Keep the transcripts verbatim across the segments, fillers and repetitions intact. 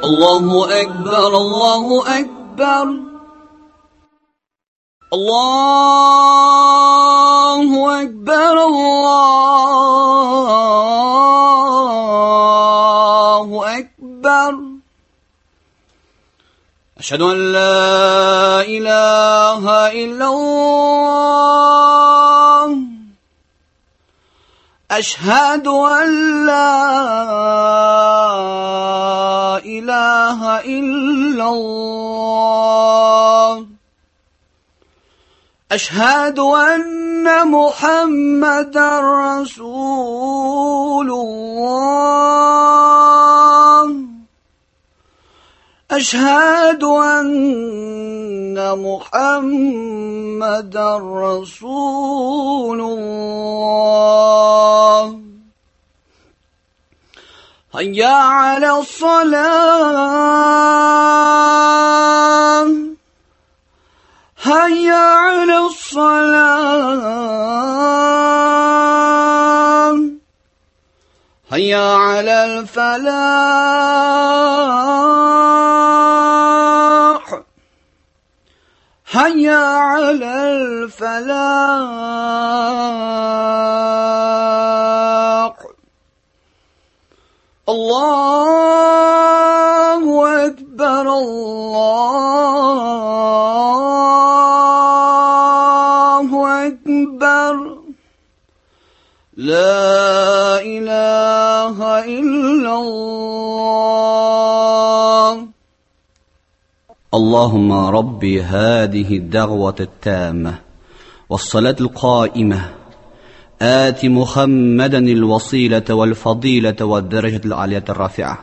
الله أكبر الله أكبر الله أكبر الله أكبر أشهد أن لا إله إلا الله أشهد أن لا إله إلا الله أشهد أن محمدا رسول الله أشهد أن محمدا رسول الله هيا على الصلاة هيا على الصلاة هيا على الفلاح هيا على الفلاح الله أكبر الله أكبر لا إله إلا الله اللهم ربي هذه الدعوة التامة والصلاة القائمة آت محمدا الوسيلة والفضيلة والدرجة العالية الرافعة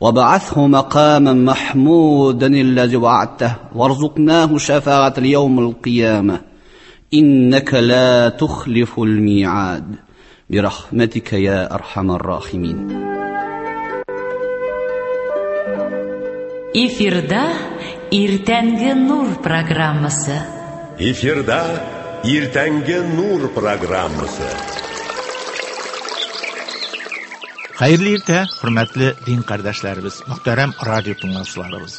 وبعثه مقاما محمودا الذي وعدته وارزقناه شفاعة اليوم القيامة إنك لا تخلف الميعاد برحمتك يا أرحم الراحمين. Эфирда Иртәнге Нур программасы. Эфирда Иртәнге Нур программасы. Хәерле иртә, хөрмәтле дин кардәшләребез, мөхтәрәм радио тыңлаучыларыбыз.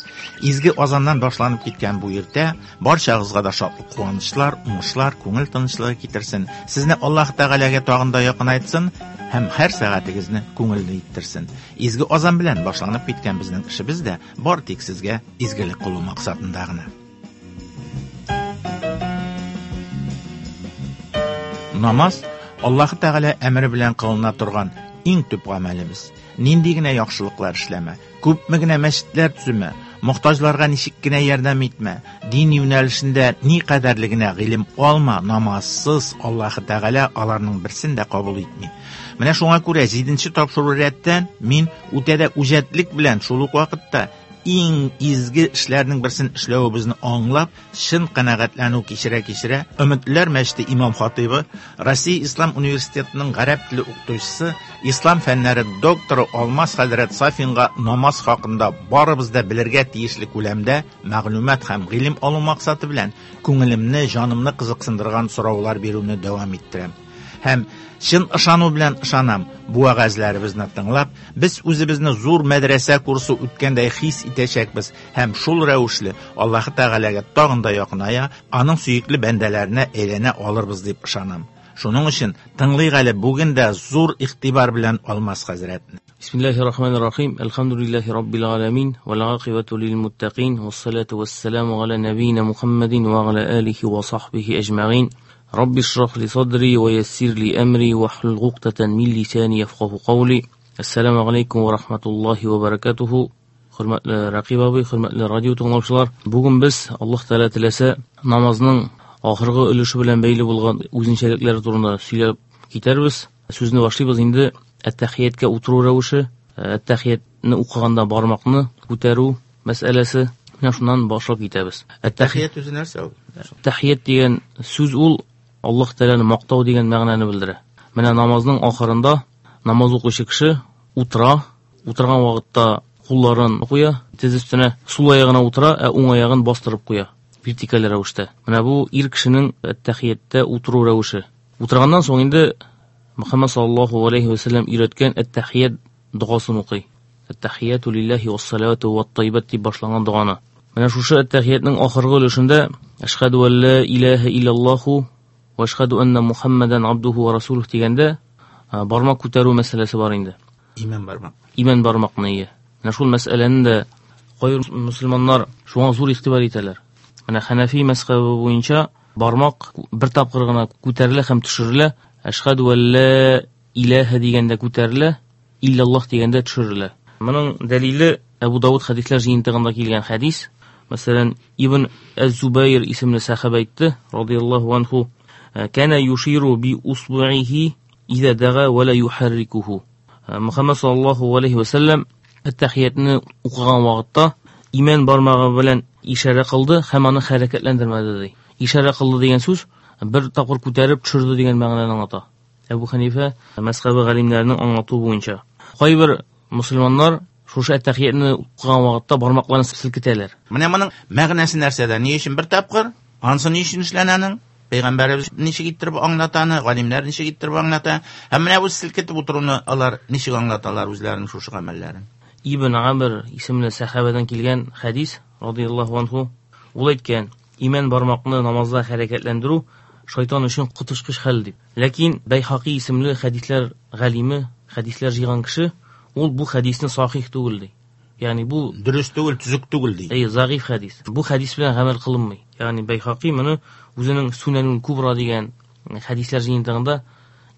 Изге азаннан башланып киткән бу иртә барчагызга да шатлык, куанычлар, уңышлар, күңел тынычлыгы китерсен. Сезне Аллаһ Тәгаләгә тагын да якынайтсын һәм һәр сәгатегезне күңелле иттерсен. Изге азан белән башланып киткән безнең эшебез дә бар тик сезгә изгелек кылу максатында гына. Намаз Аллаһ Тәгалә әмере белән кылына торган иң төп гамәлебез. Нинди генә яхшылыклар эшләмә, күпме генә мәчетләр төземә, мохтаҗларга ничек кенә ярдәм итмә, дин юнәлешендә ни кадәрле генә гыйлем алма, намазсыз Аллаһ Тәгалә аларның берсен дә кабул итми. Менә шуңа күрә җиденче тапшыру рәттән мин үтә дә үҗәтлек белән шул ук вакытта иң изге эшләрнең берсен эшләвебезне аңлап, чын канәгатьләнү кичерә-кичерә, Өметләр мәчете имам хатибы, Россия Ислам университетының гарәп теле укытучысы, ислам фәннәре докторы Алмаз хәзрәт Сафинга намаз хакында барыбыз да белергә тиешле күләмдә мәгълүмат һәм гыйлем алу максаты белән күңелемне, җанымны кызыксындырган сораулар бирүне дәвам иттерәм. Һәм чын ышану белән ышанам, бу вәгазьләребезне тыңлап, без үзебезне зур мәдрәсә курсы үткәндәй хис итәчәкбез һәм шул рәвешле Аллаһ Тәгаләгә тагын да якыная, аның сөекле бәндәләренә әйләнә алырбыз дип ышанам. Шуның өчен тыңлыйк әле бүген дә зур игътибар белән Алмаз хәзрәтне. Бисмиллаһир-рахманир-рахим. Әлхәмдүлиллаһи раббил аламин вал ақибату лил муттақин вассалату вассаламу аля набийна Мухаммадин ва аля алихи ва сахбихи аҗмаин. رب اشرح لي صدري ويسر لي أمري واحلل عقدة من لساني يفقهوا قولي. السلام عليكم ورحمة الله وبركاته. Хөрмәтле Рәкыйп абый, хөрмәтле радио тыңлаучылар, бүген без Аллаһ Тәгалә теләсә намазның ахыргы өлеше белән бәйле булган үзенчәлекләре турында сөйләп китәрбез. Сүзне башлыйбыз инде әт-тәхияткә утыру рәвеше, әт-тәхиятне укыганда бармакны күтәрү мәсьәләсе. Менә шуннан башлап китәбез. Әт-тәхият үзе нәрсә ул? Тәхият дигән сүз ул Аллаһ Тәгаләне мактау дигән мәгънәне белдерә. Менә намазның ахырында намаз укучы кеше утыра, утырган вакытта кулларын куя, тез өстенә сул аягына утыра, ә уң аягын бастырып куя вертикаль рәвештә. Менә бу ир кешенең әт-тәхияттә утыру рәвеше. Утырганнан соң инде Мөхәммәд саллаллаһу алейхи ва саллям өйрәткән әт-тәхият догасын укый. Әт-тәхияту лиллаһи вассалату ват-тайбат дип башланган доганы. Менә шушы әт-тәхиятның ахыргы өлешендә Әшһәду ан ла илаһа иллаллаһу ва әшһәду анна Мухаммадан абдуху ва расулуһу дигәндә бармак күтәрү мәсьәләсе бар инде. Иман бармак. Иман бармакны ие. Менә шул мәсьәләне дә кайбер мөселманнар шуңа зур игътибар итәләр. Менә Хәнәфи мәзһәбе буенча бармак бер тапкыр гына күтәрелә һәм төшерелә. Әшһәду ан ла илаһа дигәндә күтәрелә, иллаллаһ дигәндә төшерелә. Моның дәлиле Әбу Давыд хәдисләр җыентыгында килгән хәдис. Мәсәлән, Ибн әз-Зубайр исемле сәхабә әйтте, радияллаһу анху, кана юширу би усбуихи иза дага ва ла юхаррикуху. Мухаммад саллаллаһу алейхи ва саллям әт-тәхиятны укыган вакытта имән бармагы белән ишарә кылды һәм аны хәрәкәтләндермәде ди. Ишарә кылды дигән сүз бер тапкыр күтәреп төшерде дигән мәгънәне аңлата. Әбу Хәнифә мәзһәбе галимнәренең аңлатуы буенча. Кайбер мөселманнар шушы әт-тәхиятны укыган вакытта бармакларын селкетәләр. Менә моның мәгънәсе нәрсәдә? Ни өчен бер тапкыр? Ансы ни өчен эшләнә? Пәйгамбәребез ничек иттереп аңлата, галимнәр ничек иттереп аңлата? Һәм менә бу селкетеп утыруны алар ничек аңлаталар үзләренең шушы гамәлләрен? Ибн Амр исемле сәхабәдән килгән хәдис, радияллаһу анху, ул әйткән, имән бармакны намазда хәрәкәтләндерү шайтан өчен коточкыч хәл дип. Ләкин Бәйһаки исемле хәдисләр галиме, хәдисләр җыйган кеше, ул бу хәдисне сахих түгел ди. Ягъни бу дөрес түгел, төзек түгел ди. Әй, заиф хәдис. Бу хәдис белән гамәл кылынмый. Ягъни Бәйһаки моны үзенең Сунанул Кубра дигән хәдисләр җыентыгында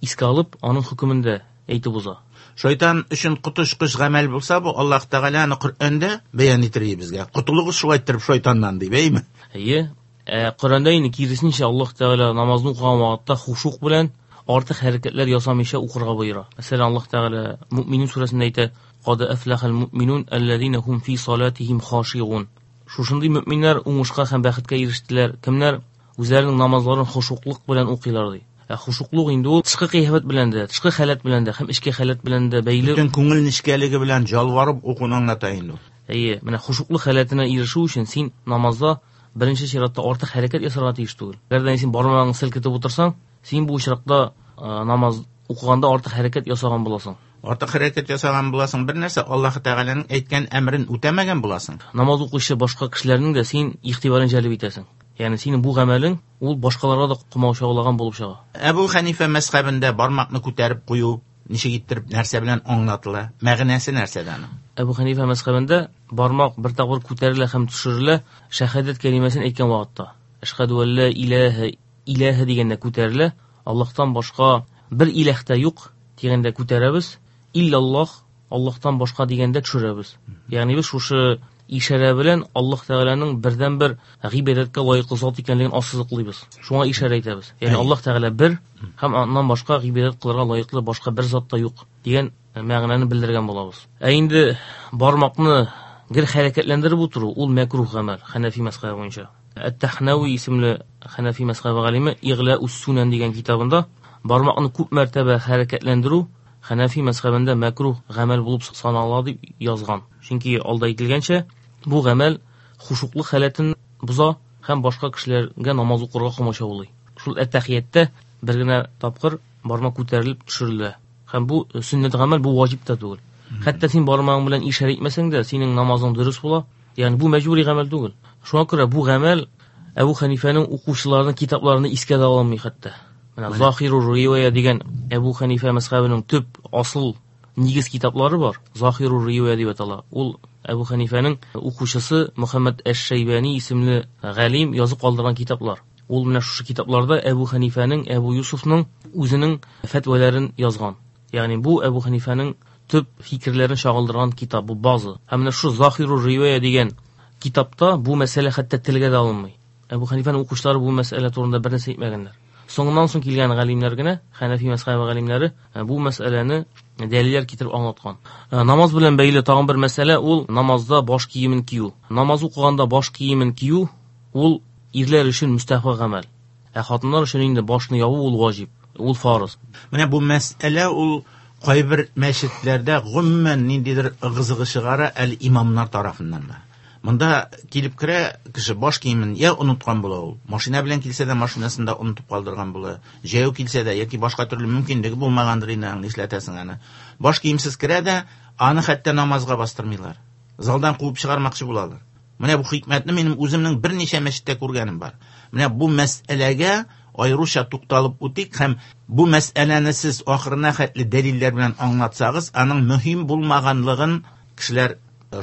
искә алып, аның хөкемендә әйтеп уза. Шайтан өчен коточкыч гамәл булса, бу Аллаһ Тәгалә аны Коръәндә бәян итер безгә. Котылыгыз шулай иттереп шайтаннан дип, әйме? Әйе. Ә Коръәндә инде киресенчә Аллаһ Тәгалә намазны укыган вакытта хушук белән артык хәрәкәтләр ясамыйча укырга боера. Мәсәлән, Аллаһ Тәгалә Муъминун сүрәсендә әйтә: "Кад әфләхәл муъминун аллазина хум фи салатихим хашиун." Шушындый мөминнәр уңышка һәм бәхеткә ирештеләр. Кемнәр үзләренең намазларын хушуклык белән укыйлар ди. Ә хушуклык инде ул тышкы кыяфәт белән дә, тышкы халәт белән дә һәм эчке халәт белән дә бәйле. Бөтен күңел нечкәлеге белән ялварып укуны аңлата инде ул. Әйе, менә хушуклык халәтенә ирешү өчен син намазда беренче чиратта артык хәрәкәт ясарга тиеш түгел. Әгәр дә син бармагыңны селкетеп утырсаң, син бу очракта намаз укыганда артык хәрәкәт ясаган буласың. Артык хәрәкәт ясаган буласың, бер нәрсә Аллаһ Тәгаләнең әйткән әмерен үтәмәгән буласың. Намаз укучы башка кешеләрнең дә син игътибарын җәлеп итәсең. Ягъни синең бу гамәлең ул башкаларга да комачаулаган булып чыга. Әбу Хәнифә мәзһәбендә бармакны күтәреп кую ничек иттереп нәрсә белән аңлатыла? Мәгънәсе нәрсәдә аның? Әбу Хәнифә мәзһәбендә бармак бер тапкыр күтәрелә һәм төшерелә шәһадәт кәлимәсен әйткән вакытта. Әшһәду ан ла илаһа илаһа дигәндә күтәрелә, Аллаһтан башка бер илаһ та юк дигәндә күтәрәбез, иллаллаһ, Аллаһтан башка дигәндә төшерәбез. Ягъни без шушы ишарә белән Аллаһ Тәгаләнең бердән-бер гыйбадәткә лаеклы зат икәнлеген ассызыклыйбыз. Шуңа ишарә итәбез. Ягъни Аллаһ Тәгалә бер һәм аннан башка гыйбадәт кылырга лаеклы башка бер зат та юк дигән мәгънәне белдергән булабыз. Ә инде бармакны гел хәрәкәтләндереп утыру ул мәкруһ гамәл Хәнәфи мәзһәбе буенча. Әт-Тахнави исемле Хәнәфи мәзһәбе галиме Иглаус Сунан дигән китабында бармакны күп мәртәбә хәрәкәтләндерү Хәнәфи мәзһәбендә мәкруһ гамәл булып санала дип язган. Чөнки алда әйтелгәнчә, бу гамәл хушуклык халәтен боза һәм башка кешеләргә намаз укырга комачаулый. Шул әт-тәхияттә бер генә тапкыр бармак күтәрелеп төшерелә. Һәм бу сөннәт гамәл, бу ваҗиб та түгел. Хәтта син бармагың белән ишарә итмәсәң дә, синең намазың дөрес була. Ягъни бу мәҗбүри гамәл түгел. Шуңа күрә бу гамәл Әбу Хәнифәнең укучыларының китапларына искә дә алынмый хәтта. Менә Захиру Ривая дигән Әбу Хәнифә мәзһәбенең төп асыл нигез китаплары бар. Захиру Ривая дип атала. Ул Әбу Хәнифәнең укучысы Мөхәммәд әш-Шәйбани исемле галим язып калдырган китаплар. Ул менә шушы китапларда Әбу Хәнифәнең, Әбу Юсуфның үзенең фәтвәләрен язган. Ягъни бу Әбу Хәнифәнең төп фикерләрен чагылдырган китап, бу база. Һәм менә шу Захиру Ривая дигән китапта бу мәсьәлә хәтта телгә дә алынмый. Әбу Хәнифәнең укучылары бу мәсьәлә турында бер нәрсә әйтмәгәннәр. Соңыннан соң килгән галимнәр генә, Хәнәфи мәзһәбе галимнәре бу мәсьәләне дәлилләр китереп аңлаткан. Намаз белән бәйле тагын бер мәсьәлә ул намазда баш киемен кию. Намаз укыганда баш киемен кию ул ирләр өчен мөстәхәб гамәл. Ә хатыннар өчен инде башны ябу ул ваҗиб, ул фарыз. Менә бу мәсьәлә ул кайбер мәчетләрдә гомумән ниндидер ыгы-зыгы чыгара әле имамнар тарафыннан да. Монда килеп керә кеше баш киемен я оныткан була ул. Машина белән килсә дә машинасын да онытып калдырган була. Җәяү килсә дә яки башка төрле мөмкинлеге булмагандыр инде, нишләтәсең аны. Баш киемсез керә дә, аны хәтта намазга бастырмыйлар. Залдан куып чыгармакчы булалар. Менә бу хикмәтне минем үземнең берничә мәчеттә күргәнем бар. Менә бу мәсьәләгә аеруча тукталып үтик һәм бу мәсьәләне сез ахырына хәтле дәлилләр белән аңлатсагыз, аның мөһим булмаганлыгын кешеләр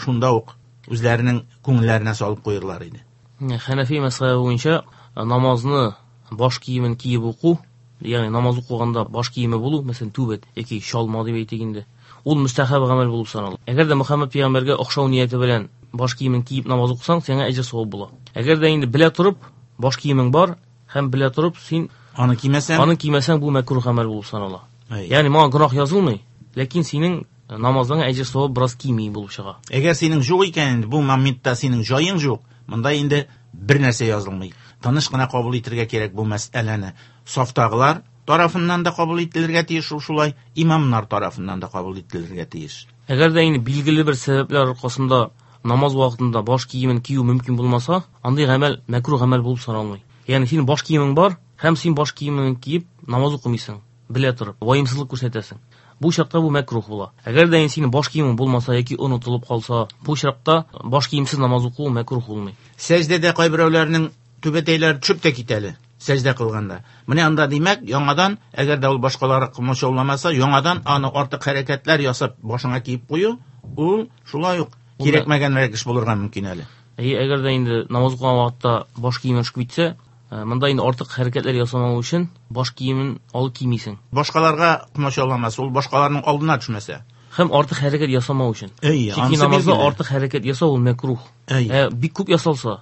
шунда ук үзләренең күңелләренә салып куерлар иде. Хәнәфи мәзһәбе буенча намазны баш киемен киеп уку, ягъни намаз укыганда баш киеме булу, мәсәлән, түбәт яки чалма дип әйтик инде, ул мөстәхәб гамәл булып санала. Әгәр дә Мөхәммәд пәйгамбәргә охшау нияте белән баш киемен киеп намаз укысаң, сиңа әҗер савап була. Әгәр дә инде белә торып баш киемең бар һәм белә торып син аны кимәсәң, аны кимәсәң, бу мәкруh гамәл булып санала. Ягъни моңа гөнаһ язылмый, ләкин синең намаздан әҗер савап бераз кими булып чыга. Әгәр синең юк икән, бу моментта синең җаең юк, монда инде бер нәрсә язылмый. Тыныч кына кабул итәргә кирәк бу мәсьәләне. Сафтагылар тарафыннан да кабул ителергә тиеш, шулай имамнар тарафыннан да кабул ителергә тиеш. Әгәр дә инде билгеле бер сәбәпләр аркасында намаз вакытында баш киемен кию мөмкин булмаса, андый гамәл мәкруh гамәл булып саналмый. Ягъни синең баш киемең бар, һәм син баш киемен киеп намаз укымыйсың, белә торып, ваемсызлык күрсәтәсең. Бу чакта бу мәкруh була. Әгәр дә синең баш киемең булмаса яки онытылып калса, бу чакта баш киемсез намаз уку мәкруh булмый. Сәҗдәдә кайберәүләрнең түбәтәйләре төшеп тә китәле сәҗдә кылганда. Менә анда димәк, яңадан, әгәр дә ул башкалары комачауламаса, яңадан аны артык хәрәкәтләр ясап башыңа киеп кую, ул шулай ук кирәкмәгәнрәк эш булырга мөмкин әле. Әйе, әгәр дә инде намаз укыган вакытта баш киемен төшеп китсә, монда инде артык хәрәкәтләр ясамау өчен баш киемен алып кимисең. Башкаларга комачауламаса, ул башкаларның алдына төшмәсә. Һәм артык хәрәкәт ясамау өчен. Чөнки намазда артык хәрәкәт ясау ул мәкруh. Ә бик күп ясалса,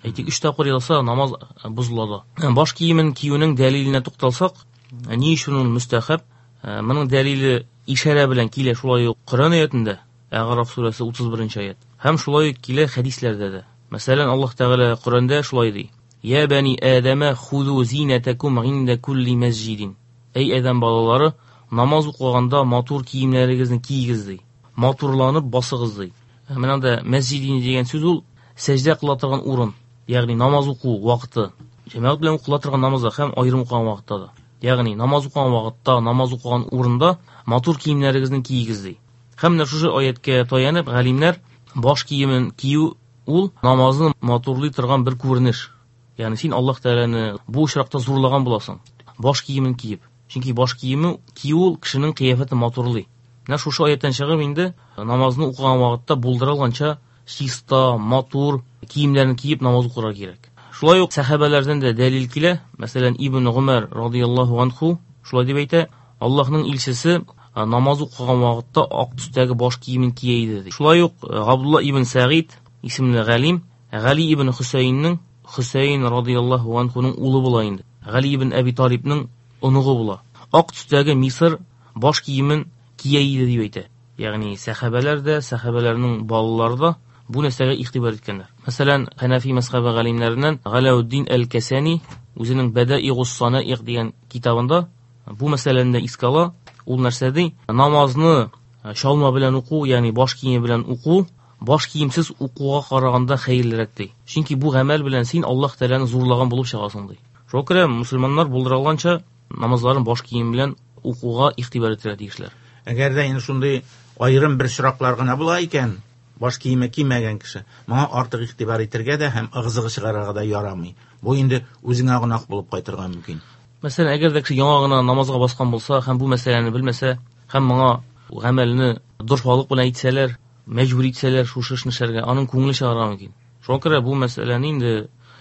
әйтик, өч тапкыр ясалса, намаз бозыла да. Баш киемен киюнең дәлиленә тукталсак, ни өчен ул мөстәхәб? Моның дәлиле ишарә белән килә шулай ук Коръән аятында, Әгъраф сүрәсе утыз беренче аят. Һәм шулай ук килә хәдисләрдә дә. Мәсәлән, Аллаһ Тәгалә Коръәндә шулай ди: "Я бани Адама худу зинатакум инда кулли масҗидин." Эй Адәм балалары, намаз укыганда матур киемнәрегезне киегез ди. Матурланып басыгыз ди. Менә анда мәсҗидин дигән сүз ул сәҗдә кыла торган урын, ягъни намаз уку вакыты. Җәмәгать белән укыла торган намазда һәм аерым укыган вакытта да. Ягъни намаз укыган вакытта, намаз укыган урында матур киемнәрегезне киегез ди. Һәм менә шушы аятка таянып, галимнәр баш киемен кию ул намазны матурлый торган бер күренеш. Ягъни син Аллаһ Тәгаләне бу очракта зурлаган буласың. Баш киемен киеп. Чөнки баш киеме кию ул кешенең кыяфәтен матурлый. Менә шушы аяттан чыгып инде намазны укыган вакытта булдыра алганча чиста, матур киемнәрен киеп намаз укырга кирәк. Шулай ук сәхабәләрдән дә дәлил килә. Мәсәлән, Ибн Гумар радияллаһу анху шулай дип әйтә: Аллаһның илчесе намаз укыган вакытта ак төстәге баш киемен кия иде ди. Шулай ук Габдулла ибн Сәгыйд исемле галим Гали ибн Хөсәйннең, Хөсәйн радияллаһу анхуның улы була инде. Гали ибн Әби Талибның оныгы була. Ак төстәге Мисыр баш киемен кия иде дип әйтә. Ягъни сәхабәләр дә, сәхабәләрнең балалары да бу нәрсәгә игътибар иткәннәр. Мәсәлән, Хәнәфи мәзһәбе галимнәреннән Галәүддин әл-Кәсәни үзенең Бәдаигус санаигъ дигән китабында бу мәсьәләне дә искә ала. Ул нәрсә ди? Намазны чалма белән уку, ягъни баш киеме белән уку, баш киемсез укуга караганда хәерлерәк ди. Чөнки бу гамәл белән син Аллаһ Тәгаләне зурлаган булып чыгасың ди. Шуңа күрә мусульманнар булдыра алганча намазларын баш кием белән укуга игътибар итәргә тиешләр. Әгәр дә инде шундый аерым бер очраклар гына була икән, баш киеме кимәгән кеше, моңа артык игътибар итәргә дә һәм ыгы-зыгы чыгарырга да ярамый. Бу инде үзеңә гөнаһ булып кайтырга мөмкин. Мәсәлән, әгәр дә кеше яңа гына намазга баскан булса һәм бу мәсьәләне белмәсә, һәм моңа гамәлне дорфалык белән әйтсәләр, мәҗбүр итсәләр шушы эшне эшләргә, аның күңеле чыгарга мөмкин. Шуңа күрә бу мәсьәләне инде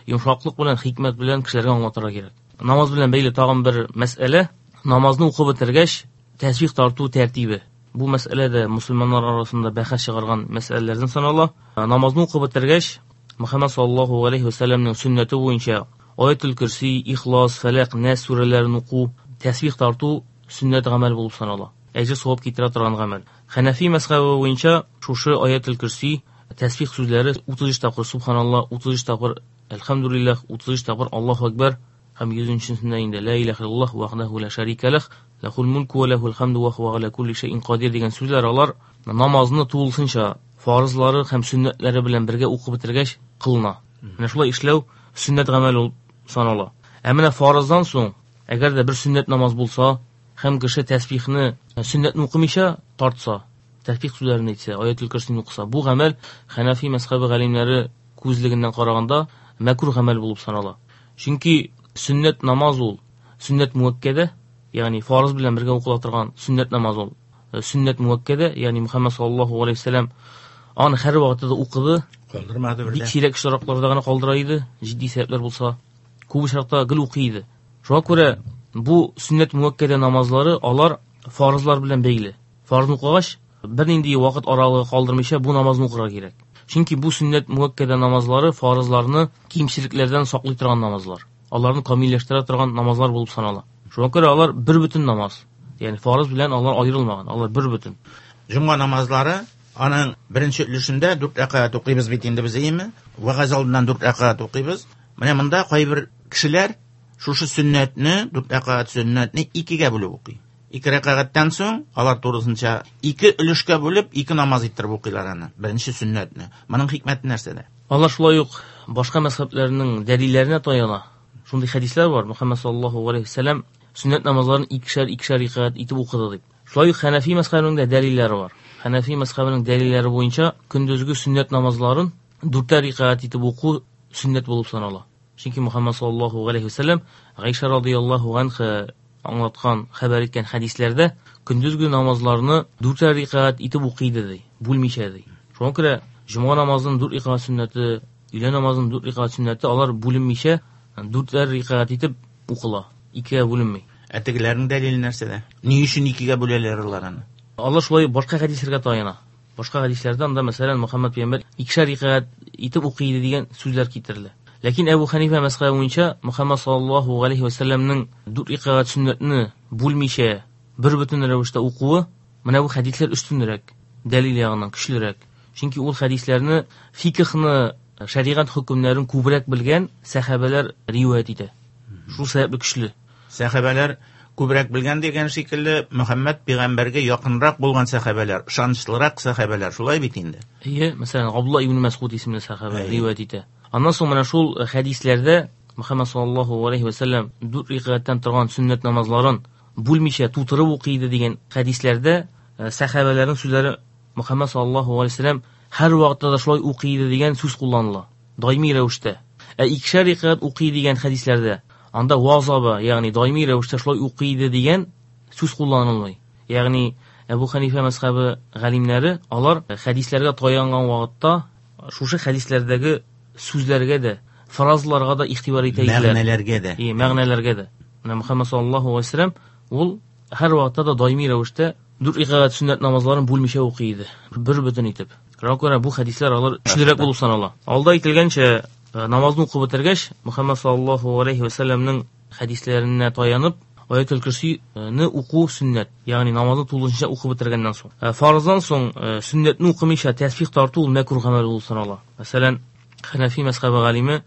йомшаклык белән, хикмәт белән кешеләргә аңлатырга кирәк. Намаз белән бәйле тагын бер мәсьәлә, намазны укып бетергәч, тәсбих тарту тәртибе. Бу мәсьәлә дә мусульманнар арасында бәхәс чыгарган мәсьәләләрдән санала. Намазны укып бетергәч, Мөхәммәд саллаллаһу алейһи ва сәлләмнең сөннәте буенча Аятул Курси, Ихлас, Фәләк, Нәс сүрәләрен уку, тәсбих тарту сөннәт гамәл булып санала. Әҗер савап китерә торган гамәл. Хәнәфи мәзһәбе буенча шушы Аятул Курси, тәсбих сүзләре утыз өч тапкыр субханаллаһ, утыз өч тапкыр әлхәмдүлилләһ, утыз өч тапкыр Аллаһу акбар һәм йөзенчесендә инде ла илаһа иллаллаһ вахдаху ла шарика лах, лахул мулку ва лахул хамду ва хуа аля кулли шайин кадир дигән сүзләр алар намазны тулысынча фарызлары һәм сөннәтләре белән бергә укып бетергәч кылына. Менә шулай эшләү сөннәт гамәл булып санала. Ә менә фарыздан соң, әгәр дә бер сөннәт намаз булса, һәм кеше тәсбихне сөннәтне укымыйча тартса, тәсбих сүзләрен әйтсә, аятул көрсине укыса, бу гамәл Хәнәфи мәзһәбе галимнәре күзлегеннән караганда мәкруh гамәл булып санала. Чөнки сөннәт намаз ул сөннәт муаккәдә, ягъни фарыз белән бергә укыла торган сөннәт намаз ул. Сөннәт муаккәдә, ягъни Мөхәммәд саллаллаһу алейһи ва сәлләм аны һәр вакытта да укыды, калдырмады бер. Бик сирәк очракларда гына калдыра иде, җитди сәбәпләр булса, күп очракта гел укый иде. Шуңа күрә бу сөннәт муаккәдә намазлары алар фарызлар белән бәйле. Фарызны укыгач, бернинди вакыт аралыгы калдырмыйча бу намазны укырга кирәк. Чөнки бу сөннәт муаккәдә намазлары фарызларны кимчелекләрдән саклый торган намазлар. Аларны камилләштерә торган намазлар булып санала. Шуңа күрә алар бер бөтен намаз. Ягъни фарыз белән алар аерылмаган, алар бер бөтен. Җомга намазлары аның беренче өлешендә дүрт рәкәгать укыйбыз бит инде без, әйеме? Вәгазь алдыннан дүрт рәкәгать укыйбыз. Менә монда кайбер кешеләр шушы сөннәтне, дүрт рәкәгать сөннәтне икегә бүлеп укый. Ике рәкәгатьтән соң алар турысынча ике өлешкә бүлеп ике намаз иттереп укыйлар аны, беренче сөннәтне. Моның хикмәте нәрсәдә? Алар шулай ук башка мәзһәбләрнең дәлилләренә таяна. Шундый хәдисләр бар, Мөхәммәд саллаллаһу алейһи ва сәлләм сөннәт намазларын икешәр икешәр рәкәгать итеп укыды дип. Шулай ук Хәнәфи мәзһәбенең дә дәлилләре бар. Хәнәфи мәзһәбенең дәлилләре буенча көндезге сөннәт намазларын дүртәр рәкәгать итеп уку сөннәт булып санала. Чөнки Мөхәммәд саллаллаһу алейһи ва сәлләм Гайша радыяллаһу анха аңлаткан, хәбәр иткән хәдисләрдә көндезге намазларны дүртәр рәкәгать итеп укый иде ди, бүлмичә ди. Шуңа күрә җомга намазының дүрт рәкәгать сөннәте, өйлә намазының дүрт рәкәгать сөннәте алар бүленмичә дүртәр рәкәгать итеп укыла, икегә бүленми. Ә тегеләрнең дәлиле нәрсәдә? Ни өчен икегә бүләләр алар аны? Алар шулай башка хәдисләргә таяна. Башка хәдисләрдә анда, мәсәлән, Мөхәммәд пәйгамбәр икешәр рәкәгать итеп укый иде дигән сүзләр китерелә. Ләкин Әбу Хәнифә мәзһәбе буенча Мөхәммәд саллаллаһу алейһи ва сәлләмнең дүрт рәкәгать сөннәтне бүлмичә бер бөтен рәвештә укуы, менә бу хәдисләр өстенрәк, дәлил ягыннан көчлерәк. Чөнки ул хәдисләрне фикхны, шәригать хөкемнәрен күбрәк белгән сәхабәләр риваять итә. Шул сәбәпле көчле. Сәхабәләр күбрәк белгән дигән шикелле Мөхәммәд пәйгамбәргә якынрак булган сәхабәләр, ышанычлырак сәхабәләр, шулай бит инде. Әйе, мәсәлән, Абдулла ибн Мәсгуд исемле сәхабә риваять итә. Аннан соң менә шул хәдисләрдә Мөхәммәд саллаллаһу алейһи ва сәлләм дүрт рәкәгатьтән торган сөннәт намазларын бүлмичә тутырып укый иде дигән хәдисләрдә сәхабәләрнең сүзләре Мөхәммәд саллаллаһу алейһи ва сәлләм һәр вакытта да шулай укый иде дигән сүз кулланыла, даими рәвештә. Ә икешәр рәкәгать укый дигән хәдисләрдә анда вазаба, ягъни даими рәвештә шулай укый иде дигән сүз кулланылмый. Ягъни Әбу Хәнифә мәзһәбе галимнәре алар хәдисләргә таянган вакытта шушы хәдисләрдәге сүзләргә дә, фразларга да игътибар итә иделәр. Мәгънәләргә дә. Е, мәгънәләргә дә. Менә Мөхәммәд саллаллаһу алейһи ва сәлләм ул һәр вакытта да даими рәвештә дүрт рәкәгать сөннәт намазларын бүлмичә укый иде, бер бөтен итеп. Шуңа күрә бу хәдисләр алар көчлерәк булып санала. Алда әйтелгәнчә, намазны укып бетергәч, Мөхәммәд саллаллаһу алейһи ва сәлләмнең хәдисләренә таянып, Аятул Көрсине уку сөннәт, ягъни намазны тулысынча укып бетергәннән соң. Фарыздан соң сөннәтне укымыйча тәсбих тарту ул мәкруh гамәл булып санала. Мәсәлән, Хәнәфи мәзһәбе галиме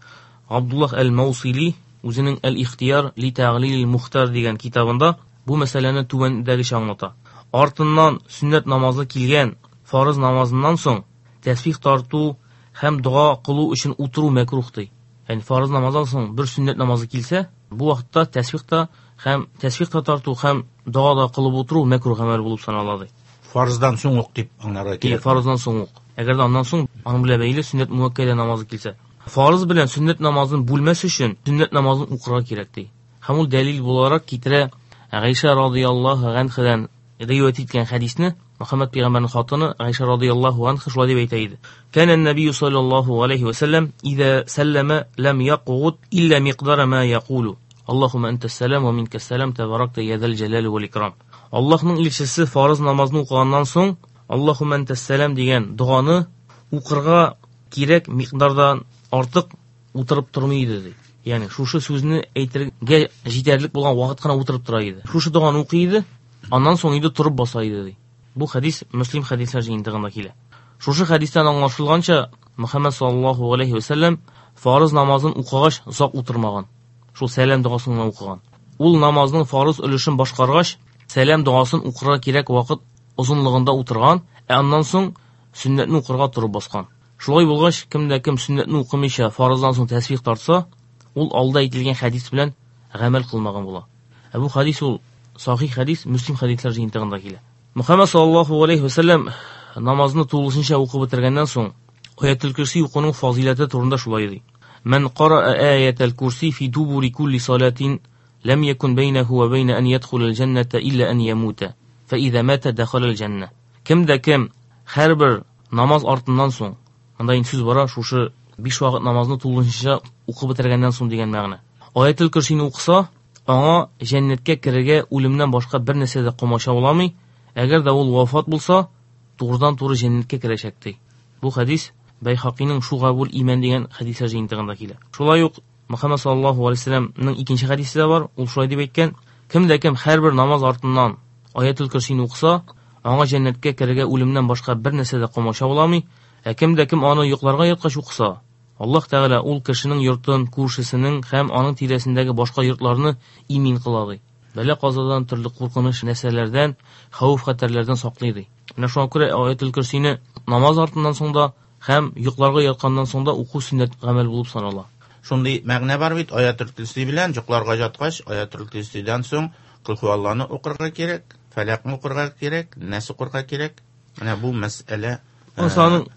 Абдуллах әл-Маусили үзенең Әл-Ихтияр ли тәгълил мухтар дигән китабында бу мәсьәләне түбәндәгечә аңлата. Артыннан сөннәт намазы килгән фарыз намазыннан соң тәсбих тарту һәм дога кылу өчен утыру мәкрух ди. Ягъни фарыз намаздан соң бер сөннәт намазы килсә, бу вакытта тәсбих та һәм тәсбих та тарту һәм дога да кылып утыру мәкрух гамәл булып санала ди. Фарыздан соң ук дип аңларга кирәк. Фарыздан соң ук. Әгәр дә аннан соң аның белән бәйле сөннәт муаккәдә намазы килсә, фарыз белән сөннәт намазын бүлмәс өчен сөннәт намазын укырга кирәк ди. Һәм ул дәлил буларак китерә Гайша радыяллаһу анһадан риваять иткән хәдисне. Мөхәммәд пәйгамбәрнең хатыны Гайша радыяллаһу анха шулай дип әйтә иде: "Кана ан-набийю саллаллаһу алейһи ва саллям иза саллама лам якъуд илля миқдара ма якулу. Аллаһумма антас салам ва минкас салам табаракта я зал жалали вал икрам." Аллаһның илчесе фарыз намазны укыганнан соң Аллаһумма антас салам дигән доганы укырга кирәк миқдардан артык утырып тормый иде ди. Ягъни шушы сүзне әйтергә җитәрлек булган вакыт кына утырып тора иде. Шушы доганы укый иде, аннан соң инде торып баса иде ди. Бу хәдис Муслим хәдисләр җыентыгында килә. Шушы хәдистән аңлашылганча, Мөхәммәд саллаллаһу алейһи ва сәлләм фарыз намазын укыгач озак утырмаган. Шул сәлам догасын гына укыган. Ул намазның фарыз өлешен башкаргач, сәлам догасын укырга кирәк вакыт озынлыгында утырган, ә аннан соң сөннәтне укырга торып баскан. Шулай булгач, кемдә кем сөннәтне укымыйча фарыздан соң тәсбих тартса, ул алда әйтелгән хәдис белән гамәл кылмаган була. Ә бу хәдис ул сахих хәдис, Мөслим хәдисләр җыентыгында килә. Мөхәммәд саллаллаһу алейһи ва сәлләм намазны тулысынча укып бетергәннән соң Аятул Курси укуның фазиләте турында шулай ди: Ман қараа аятал Курси фи дубури кулли салатин лам якун бейнаху ва бейна ан ядхулал җанната илла ан ямута фа иза мата дахалал җанна. Кемдә кем һәрбер намаз артыннан соң, монда инде сүз бара шушы биш вакыт намазны тулысынча укып бетергәннән соң дигән мәгънә. Аятул Курсины укыса, аңа җәннәткә керергә үлемнән башка бер нәрсә дә комачауламый. Әгәр дә ул вафат булса, турыдан-туры җәннәткә керәчәк ди. Бу хәдис Бәйхакиның Шугабул иман дигән хәдисләр җыентыгында килә. Шулай ук Мөхәммәд саллаллаһу алейһи ва сәлләмнең икенче хәдисе дә бар. Ул шулай дип әйткән: Кемдә кем һәрбер намаз артыннан Аятул Курсины укыса, аңа җәннәткә керергә үлемнән башка бер нәрсә дә комачауламый. Ә кемдә кем аны йокларга яткач укыса, Аллаһ Тәгалә ул кешенең йортын, күршесенең һәм аның тирәсендәге башка йортларны имин кыла ди. Бәла казадан, төрле куркыныч нәрсәләрдән, хәвеф-хәтәрләрдән саклый ди. Менә шуңа күрә Аятул Курсины намаз артыннан соң да һәм йокларга ятканнан соң да уку сөннәт гамәл булып санала. Шундый мәгънә бар бит Аятул Курси белән йокларга яткач, Аятул Курсидан соң Кул хуалланы укырга кирәк, Фәләкне укырга кирәк, Нәс укырга кирәк. Менә бу мәсьәлә. Аның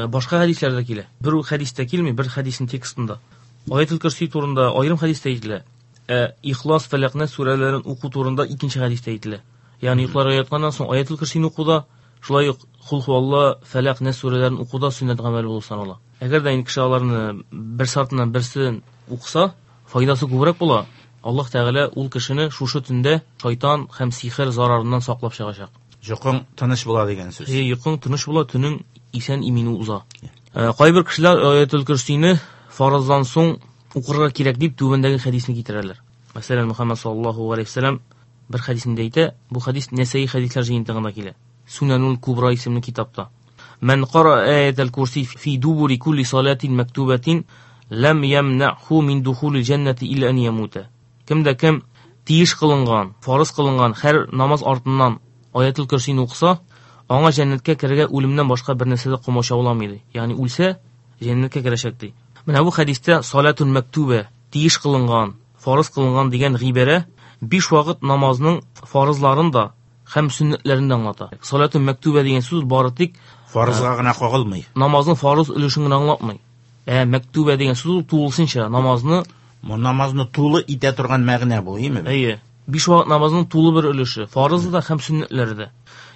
башка хәдисләрдә килә. Бер хәдистә килми, бер хәдиснең текстында. Аятул Курси турында аерым хәдистә әйтелә. Ә Ихлас, Фәләк, Нәс сүрәләрен уку турында икенче хәдистә әйтелә. Ягъни йокларга ятканнан соң Аятул Курсины укуда, шулай ук Кул хуалла, Фәләк, Нәс сүрәләрен укуда сөннәт гамәл булып санала. Әгәр дә инде кеше аларны берсе артыннан берсен укыса, файдасы күбрәк була. Аллаһ Тәгалә ул кешене шушы төндә шайтан һәм сихер зарарыннан саклап чыгачак. Йокың тыныч була дигән сүз. Әйе, йокың тыныч була, төнең исән имин уза. Кайбер кешеләр Аятул Курсины фарыздан соң укырга кирәк дип түбәндәге хәдисне китерәләр. Мәсәлән, Мөхәммәд саллаллаһу алейһи ва сәлләм бер хәдисендә әйтә, бу хәдис Нәсәи хәдисләр җыентыгында килә. Сунанул Кубра исемле китапта. Ман кара аятал Курси фи дубури кулли салатин мактубатин лам ямнаху мин духулил җаннати илла ан ямута. Кемдә кем тиеш кылынган, фарыз кылынган һәр намаз артыннан Аятул Курсины укыса, аңа җәннәткә керергә үлемнән башка бер нәрсә дә комачауламый ди. Ягъни үлсә, җәннәткә керәчәк ди. Менә бу хәдистә салатун мактуба, тиеш кылынган, фарыз кылынган дигән гыйбарә биш вакыт намазның фарызларын да һәм сөннәтләрен дә аңлата. Салатун мактуба дигән сүз бары тик фарызга гына кагылмый. Намазның фарыз өлешен генә аңлатмый. Ә мактуба дигән сүз ул тулысынча намазны, бу намазны тулы итә торган мәгънә бу, әйеме? Әйе. Биш вакыт намазның тулы бер өлеше, фарызы да һәм сөннәтләре дә.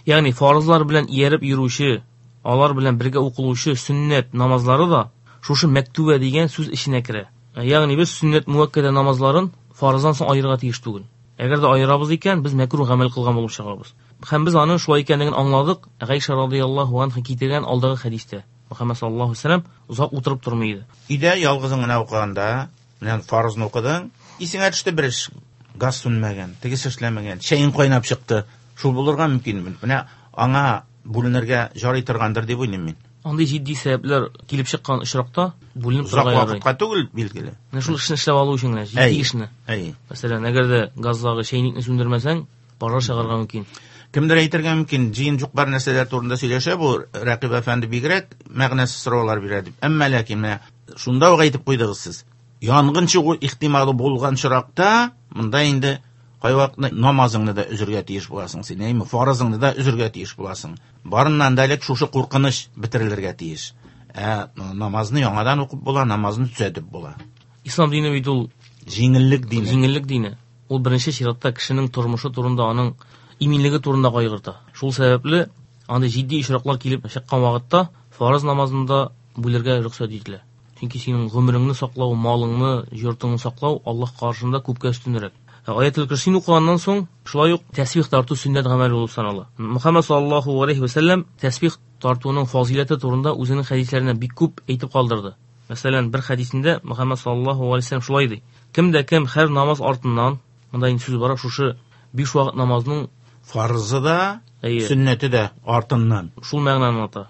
Ягъни фарызлар белән ияреп йөрүче, алар белән бергә укылучы сөннәт намазлары да шушы мактуба дигән сүз эченә керә. Ягъни без сөннәт муаккада намазларын фарыздан соң аерырга тиеш түгел. Әгәр дә аерабыз икән, без мәкруh гамәл кылган булып чыгабыз. Һәм без аны шулай икәнлеген аңладык. Гайша радыяллаһу анха китергән алдагы хәдистә Мөхәммәд саллаллаһу алейһи ва сәлләм озак утырып тормый иде. Өйдә ялгызың гына укыганда, менә фарызны укыдың, исеңә төште бер эш, газ сүнмәгән, тегесе эшләмәгән, чәең кайнап чыкты. Шул булырга мөмкин. Менә аңа бүленергә жарый торгандыр дип уйлыйм мин. Андый җитди сәбәпләр килеп чыккан очракта бүленеп Озак торырга ярый. вакытка түгел, билгеле. Менә шул эшне эшләп алу өчен генә, җитди эшне. Әй. Мәсәлән, әгәр дә газдагы чәйнекне сүндермәсәң, пожар чыгарга мөмкин. Кемдер әйтергә мөмкин, җыен юк бар нәрсәләр турында сөйләшә бу Рәкыйп әфәнде бигрәк мәгънәсез сораулар бирә дип. Әмма ләкин менә шунда ук әйтеп куйдыгыз сез. Янгын чыгу ихтималы булган очракта, монда инде кайвакытны намазыңны да өзергә тиеш буласың син, әйме, фарызыңны да өзергә тиеш буласың. Барыннан да элек шушы куркыныч бетерелергә тиеш. Ә намазны яңадан укып була, намазны төзәтеп була. Ислам дине бит ул җиңеллек дине. Җиңеллек дине. Ул беренче чиратта кешенең тормышы турында, аның иминлеге турында кайгырта. Шул сәбәпле андый җитди очраклар килеп чыккан вакытта фарыз намазында бүлергә рөхсәт ителә. Чөнки синең гомереңне саклау, малыңны, йортыңны саклау Аллаһ каршында күпкә өстенрәк. Аятул Курсины укыганнан соң шулай ук тәсбих тарту сөннәт гамәл булып санала. Мөхәммәд саллаллаһу алейһи ва сәлләм тәсбих тартуның фазиләте турында үзенең хәдисләрендә бик күп әйтеп калдырды. Мәсәлән, бер хәдисендә Мөхәммәд саллаллаһу алейһи ва сәлләм шулай ди: Кем дә кем һәр намаз артыннан, монда инде сүз бара шушы биш вакыт намазның фарызы да, Әйе. сөннәте дә артыннан. Шул мәгънәне аңлата.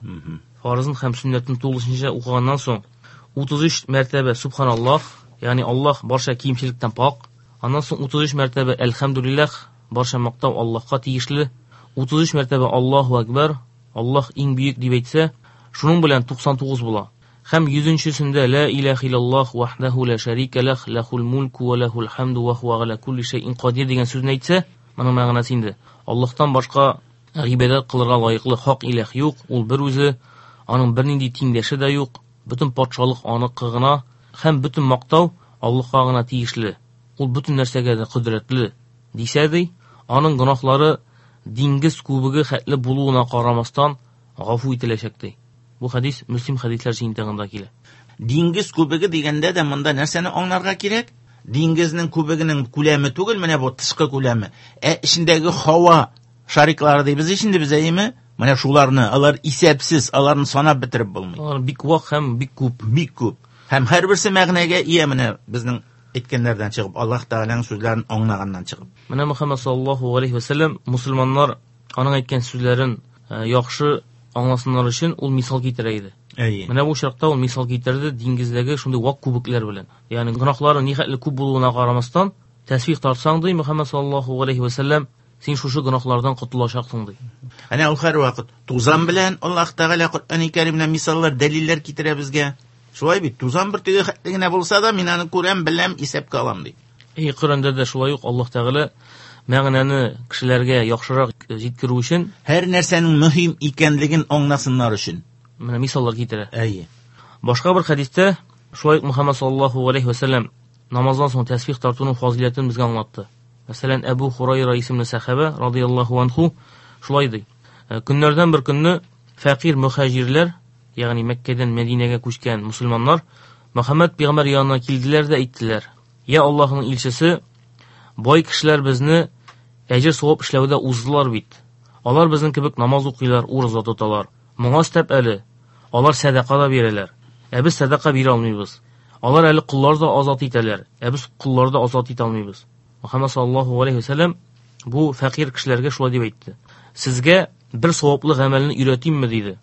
Фарызын һәм сөннәтен тулысынча укыганнан соң утыз өч мәртәбә субханаллаһ, ягъни Аллаһ барча кимчелектән пак. Аннан соң утыз өч мәртәбә әлхәмдүлилләһ, барча мактау Аллаһка тиешле. Утыз өч мәртәбә Аллаһу акбар, Аллаһ иң бөек дип әйтсә, Шуның белән туксан тугыз була. Һәм йөзенчесендә ла илаһа иллаллаһ вахдаху ла шарика лах лахул мулку ва лахул хамду ва хуа ала кулли шайин кадир дигән сүзне әйтсә, моның мәгънәсе инде Аллаһтан башка гыйбадәт кылырга лаеклы хак илаһ юк, ул бер үзе, аның бернинди тиңдәше дә юк, бөтен патшалык аныкы гына һәм бөтен мактау Аллаһка гына тиешле. Ул бөтен нәрсәгә дә кодрәтле дисә ди, аның гөнаһлары диңгез күбеге хәтле булуына карамастан гафу ителәчәк ди. Бу хадис Мөслим хадисләр җыентыгында килә. Диңгез күбеге дигәндә дә монда нәрсәне аңларга кирәк? Диңгезнең күбегенең күләме түгел, менә бу тышкы күләме. Ә эчендәге һава шариклары дибез инде без, әйеме? Менә шуларны, алар исәпсез, аларны санап бетереп булмый. Алар бик вак һәм бик күп. Бик күп. Һәм һәрберсе мәгънәгә ия, менә безнең әйткәннәрдән чыгып, Аллаһ Тәгаләнең сүзләрен аңлаганнан чыгып. Менә Мөхәммәд саллаллаһу алейһи ва сәлләм мусульманнар аның әйткән сүзләрен яхшы аңласыннар өчен ул мисал китерә иде. Әйе. Менә бу очракта ул мисал китерде диңгездәге шундый вак күбекләр белән. Ягъни гөнаһлары нихәтле күп булуына карамастан, тәсбих тартсаң ди Мөхәммәд саллаллаһу алейһи ва сәлләм, син шушы гөнаһлардан котылачаксың ди. Әнә ул һәрвакыт тузан белән Аллаһ Тәгалә Коръән-и Кәримнән мисаллар, дәлилләр китерә безгә. Шулай бит, тузан бер теге хәтле генә булса да, мин аны күрәм, беләм, исәпкә алам ди. Эй, Коръәндә дә шулай ук Аллаһ Тәгалә мәгънәне кешеләргә яхшырак җиткерү өчен, һәр нәрсәнең мөһим икәнлеген аңласыннар өчен менә мисаллар китерә. Әйе. Башка бер хәдистә шулай ук Мөхәммәд саллаллаһу алейһи ва сәлләм намаздан соң тәсбих тартуның фазиләтен безгә аңлатты. Мәсәлән, Әбу Хурайра исемле сәхабә радияллаһу анху шулай ди. Көннәрдән бер көнне фәкыйрь мөхаҗирләр, ягъни Мәккәдән Мәдинәгә күчкән мусульманнар, Мөхәммәд пәйгамбәр янына килделәр дә әйттеләр: "Я Аллаһның илчесе, бай кешеләр безне әҗер савап эшләүдә уздылар бит. Алар безнең кебек намаз укыйлар, ураза тоталар. Моңа өстәп әле алар сәдака да бирәләр. Ә без сәдака бирә алмыйбыз. Алар әле коллар да азат итәләр, ә без коллар да азат итә алмыйбыз." Мөхәммәд саллаллаһу алейһи ва сәлләм бу фәкыйрь кешеләргә шулай дип әйтте: "Сезгә бер саваплы гамәлне өйрәтимме?" диде.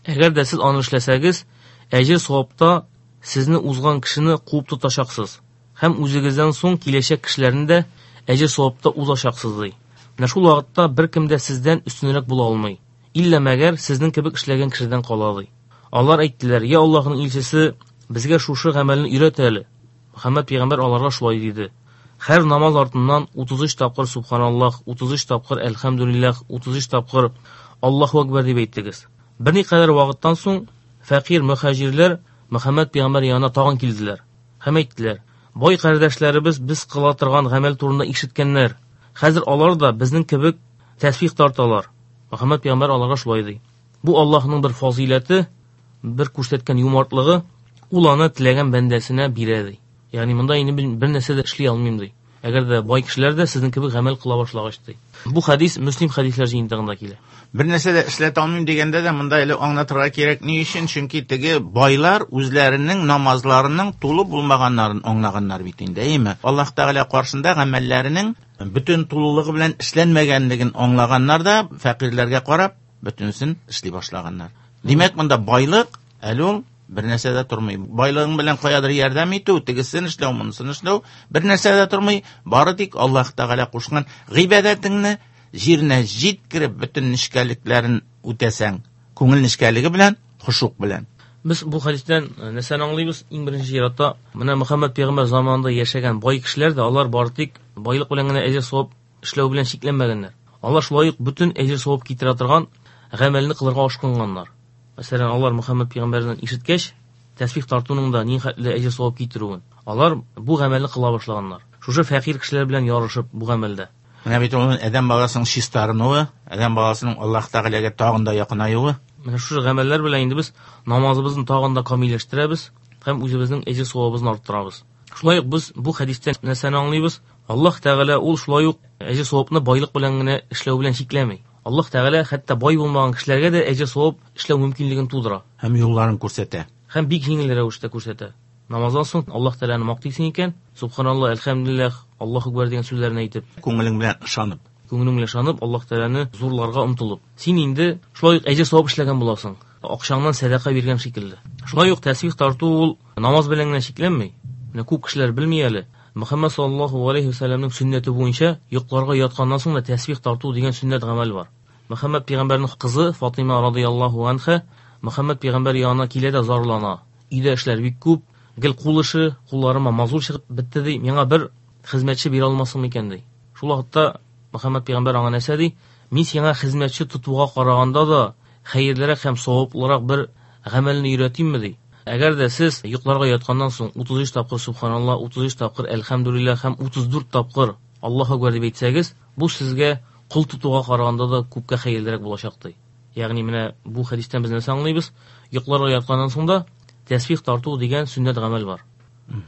Әгәр дә сез аны эшләсәгез, әҗер савапта сезне узган кешене куып тотачаксыз һәм үзегездән соң киләчәк кешеләрне дә әҗер савапта узачаксыз ди. Менә шул вакытта беркем дә сездән өстенрәк була алмый. Иллә мәгәр сезнең кебек эшләгән кешедән кала ди. Алар әйттеләр: "Я Аллаһның илчесе, безгә шушы гамәлне өйрәт әле." Мөхәммәд пәйгамбәр аларга шулай диде: "Һәр намаз артыннан утыз өч тапкыр субханаллаһ, утыз өч тапкыр әлхәмдүлилләһ, утыз өч тапкыр Аллаһу акбар дип әйттегез." Берникадәр вакыттан соң фәкыйрь мөхаҗирләр Мөхәммәд пәйгамбәр янына тагын килделәр һәм әйттеләр: "Бай кардәшләребез без кыла торган гамәл турында ишеткәннәр. Хәзер алар да безнең кебек тәсбих тарталар." Мөхәммәд пәйгамбәр аларга шулай ди: "Бу Аллаһның бер фазыйләте, бер күрсәткән юмартлыгы, ул аны теләгән бәндәсенә бирә" ди. Ягъни монда инде бер нәрсә дә эшли алмыйм ди. Әгәр дә бай кешеләр дә сезнең кебек гамәл кыла башлагач ди. Бу хадис Мөслим хадисләр җыентыгында килә. Бер нәрсә дә эшләтә алмыйм дигәндә дә монда әле аңлатырга кирәк ни өчен? Чөнки теге байлар үзләренең намазларының тулы булмаганнарын аңлаганнар бит инде, әйеме? Аллаһ Тәгалә каршында гамәлләренең бөтен тулылыгы белән эшләнмәгәнлеген аңлаганнар да фәкыйрьләргә карап бөтенесен эшли башлаганнар. Димәк, монда байлык әле ул бер нәрсә дә тормый. Байлыгың белән каядыр ярдәм итү, тегесен эшләү, монысын эшләү бер нәрсә дә тормый. Бары тик Аллаһ Тәгалә кушкан гыйбадәтеңне җиренә җиткереп бөтен нечкәлекләрен үтәсәң, күңел нечкәлеге белән, хушук белән. Без бу хадистән нәрсәне аңлыйбыз? Иң беренче чиратта, менә Мөхәммәд пәйгамбәр заманында яшәгән бай кешеләр дә алар бары тик байлык белән генә әҗер савап эшләү белән чикләнмәгәннәр. Алар шулай ук бөтен әҗер савап китерә торган гамәлне кылырга ашкынганнар. Мәсәлән, алар Мөхәммәд пәйгамбәрдән ишеткәч, тәсбих тартуның да нихәтле әҗер савап китерүен, алар бу гамәлне кыла башлаганнар. Шушы фәкыйрь кешеләр белән ярышып бу гамәлдә. Менә бит ул адәм баласының чистарынуы, адәм баласының Аллаһ Тәгаләгә тагын да якынаюы. Менә шушы гамәлләр белән инде без намазыбызны тагын да камилләштерәбез һәм үзебезнең әҗер савабыбызны арттырабыз. Шулай ук без бу хәдистән нәрсәне аңлыйбыз? Аллаһ Тәгалә ул шулай ук әҗер савапны байлык белән генә эшләү белән чикләми. Аллаһ Тәгалә хәтта бай булмаган кешеләргә дә әҗер савап эшләү мөмкинлеген тудыра. Һәм юлларын күрсәтә. Һәм бик җиңел рәвештә күрсәтә. Намаздан соң Аллаһ Тәгаләне мактыйсың икән, субханаллаһ, әлхәмдүлилләһ, Аллаһу акбар дигән сүзләрне әйтеп, күңелең белән ышанып, күңелең белән ышанып, Аллаһ Тәгаләне зурларга омтылып, син инде шулай ук әҗер савап эшләгән буласың. Акчаңнан сәдака биргән шикелле. Шулай ук тәсбих тарту ул намаз белән генә чикләнми. Менә күп кешеләр белми әле. Мөхәммәд саллаллаһу алейһи ва сәлләмнең сөннәте буенча йокларга ятканнан соң да тәсбих тарту дигән сөннәт гамәл бар. Мөхәммәд пәйгамбәрнең кызы Фатима радияллаһу анха Мөхәммәд пәйгамбәр янына килә дә зарлана. Өйдә эшләр бик күп, гел кул эше, кулларыма мазур чыгып бетте ди. Миңа бер хезмәтче бирә алмассың микән ди. Шул вакытта Мөхәммәд пәйгамбәр аңа нәрсә ди? Мин сиңа хезмәтче тотуга караганда да хәерлерәк һәм саваплырак бер гамәлне өйрәтимме ди. Әгәр дә сез йокларга ятканнан соң утыз өч тапкыр субханаллаһ, утыз өч тапкыр әлхәмдүлилләһ һәм утыз дүрт тапкыр Аллаһу акбар дип әйтсәгез, бу сезгә кул тотуга караганда да күпкә хәерлерәк булачак ди. Ягъни менә бу хәдистән без нәрсә аңлыйбыз? Йокларга ятканнан соң да тәсбих тарту дигән сөннәт гамәл бар.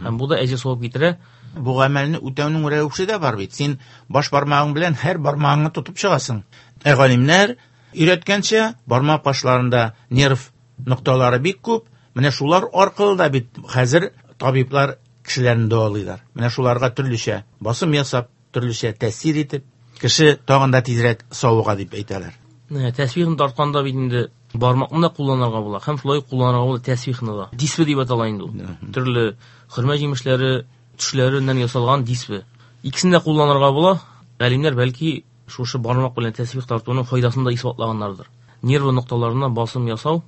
Һәм бу да әҗер савап китерә. Бу гамәлне үтәүнең рәвеше дә бар бит. Син баш бармагың белән һәр бармагыңны тотып чыгасың. Ә галимнәр өйрәткәнчә, бармак башларында нерв нокталары бик күп. Менә шулар аркылы да бит хәзер табиблар кешеләрне дәвалыйлар. Менә шуларга төрлечә басым ясап, төрлечә тәэсир итеп, кеше тагын да тизрәк савыга дип әйтәләр. Тәсбихны тартканда бит инде бармакны да кулланырга була, һәм шулай кулланырга була тәсбихны да. Дисбе дип атала инде ул. Төрле хөрмә җимешләре, төшләреннән ясалган дисбе. Икесен дә кулланырга була. Галимнәр бәлки шушы бармак белән тәсбих тартуның файдасын да исбатлаганнардыр. Нерв нокталарына басым ясау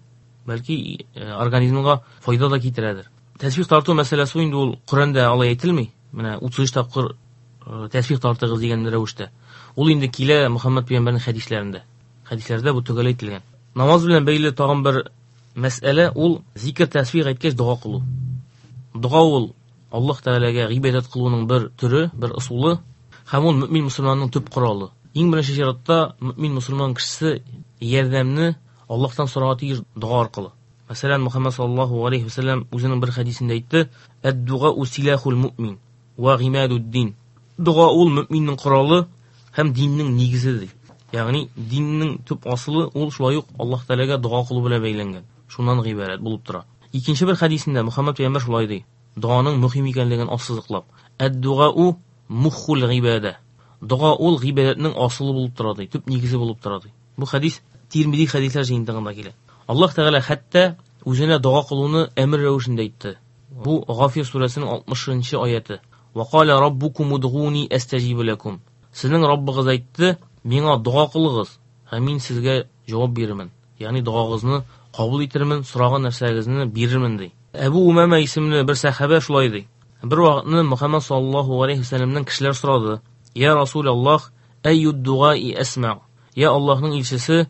бәлки организмга файда да китерәдер. Тәсбих тарту мәсьәләсе инде ул Коръәндә алай әйтелми. Менә утыз өч тапкыр тәсбих тартыгыз дигән рәвештә. Ул инде килә Мөхәммәд пәйгамбәрнең хәдисләрендә. Хәдисләрдә бу төгәл әйтелгән. Намаз белән бәйле тагын бер мәсьәлә ул зикр тәсбих әйткәч дога кылу. Дога ул Аллаһ Тәгаләгә гыйбадәт кылуның бер төре, бер ысулы һәм ул мөмин мөселманның төп коралы. Иң беренче чиратта мөмин мөселман кешесе ярдәмне Аллаһтан сорарга тиеш дога аркылы. Мәсәлән, Мөхәммәд саллаллаһу алейһи ва сәлләм үзенең бер хәдисендә әйтте: "Әд-дуга силахул мөмин ва гыймадуд-дин." Дога ул мөминнең коралы һәм диннең нигезе ди. Ягъни диннең төп асылы ул шулай ук Аллаһ Тәгаләгә дога кылу белән бәйләнгән. Шуннан гыйбарәт булып тора. Икенче бер хәдисендә Мөхәммәд пәйгамбәр шулай ди: Доганың мөһим икәнлеген ассызыклап, "Әд-дугау муххул гыйбадә." Дога ул гыйбадәтнең асылы булып тора ди, төп нигезе булып тора ди. Бу хәдис Тирмизи хәдисләр җыентыгында килә. Аллаһ Тәгалә хәтта үзенә дога кылуны әмер рәвешендә әйтте. Бу Гафир сүрәсенең алтмышынчы аяты. Ва кала раббукум удгуни астаҗиб лакум. Сезнең Раббыгыз әйтте: "Миңа дога кылыгыз, һәм мин сезгә җавап бирермен." Ягъни догагызны кабул итермен, сораган нәрсәгезне бирермен ди. Әбу Умама исемле бер сәхабә шулай ди. Бер вакытны Мөхәммәд саллаллаһу алейһи ва сәлләмнән кешеләр сорады: "Я Расулаллаһ, әйюд дугаи асма?" Я Аллаһның илчесе,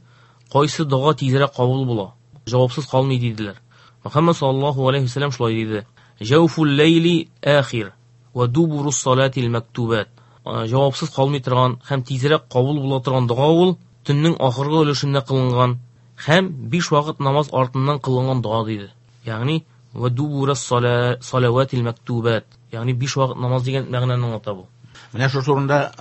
кайсы дога тизрәк кабул була? Җавапсыз калмый диделәр. Мөхәммәд саллаллаһу алейһи ва сәлләм шулай диде: "Җауфул ләйли ахир ва дубурус салатил мактубат." Җавапсыз калмый торган һәм тизрәк кабул була торган дога ул төннең ахыргы өлешендә кылынган һәм биш вакыт намаз артыннан кылынган дога диде. Ягъни ва дубурус салаватил мактубат, ягъни биш вакыт намаз дигән мәгънәне аңлата бу. Менә шул турында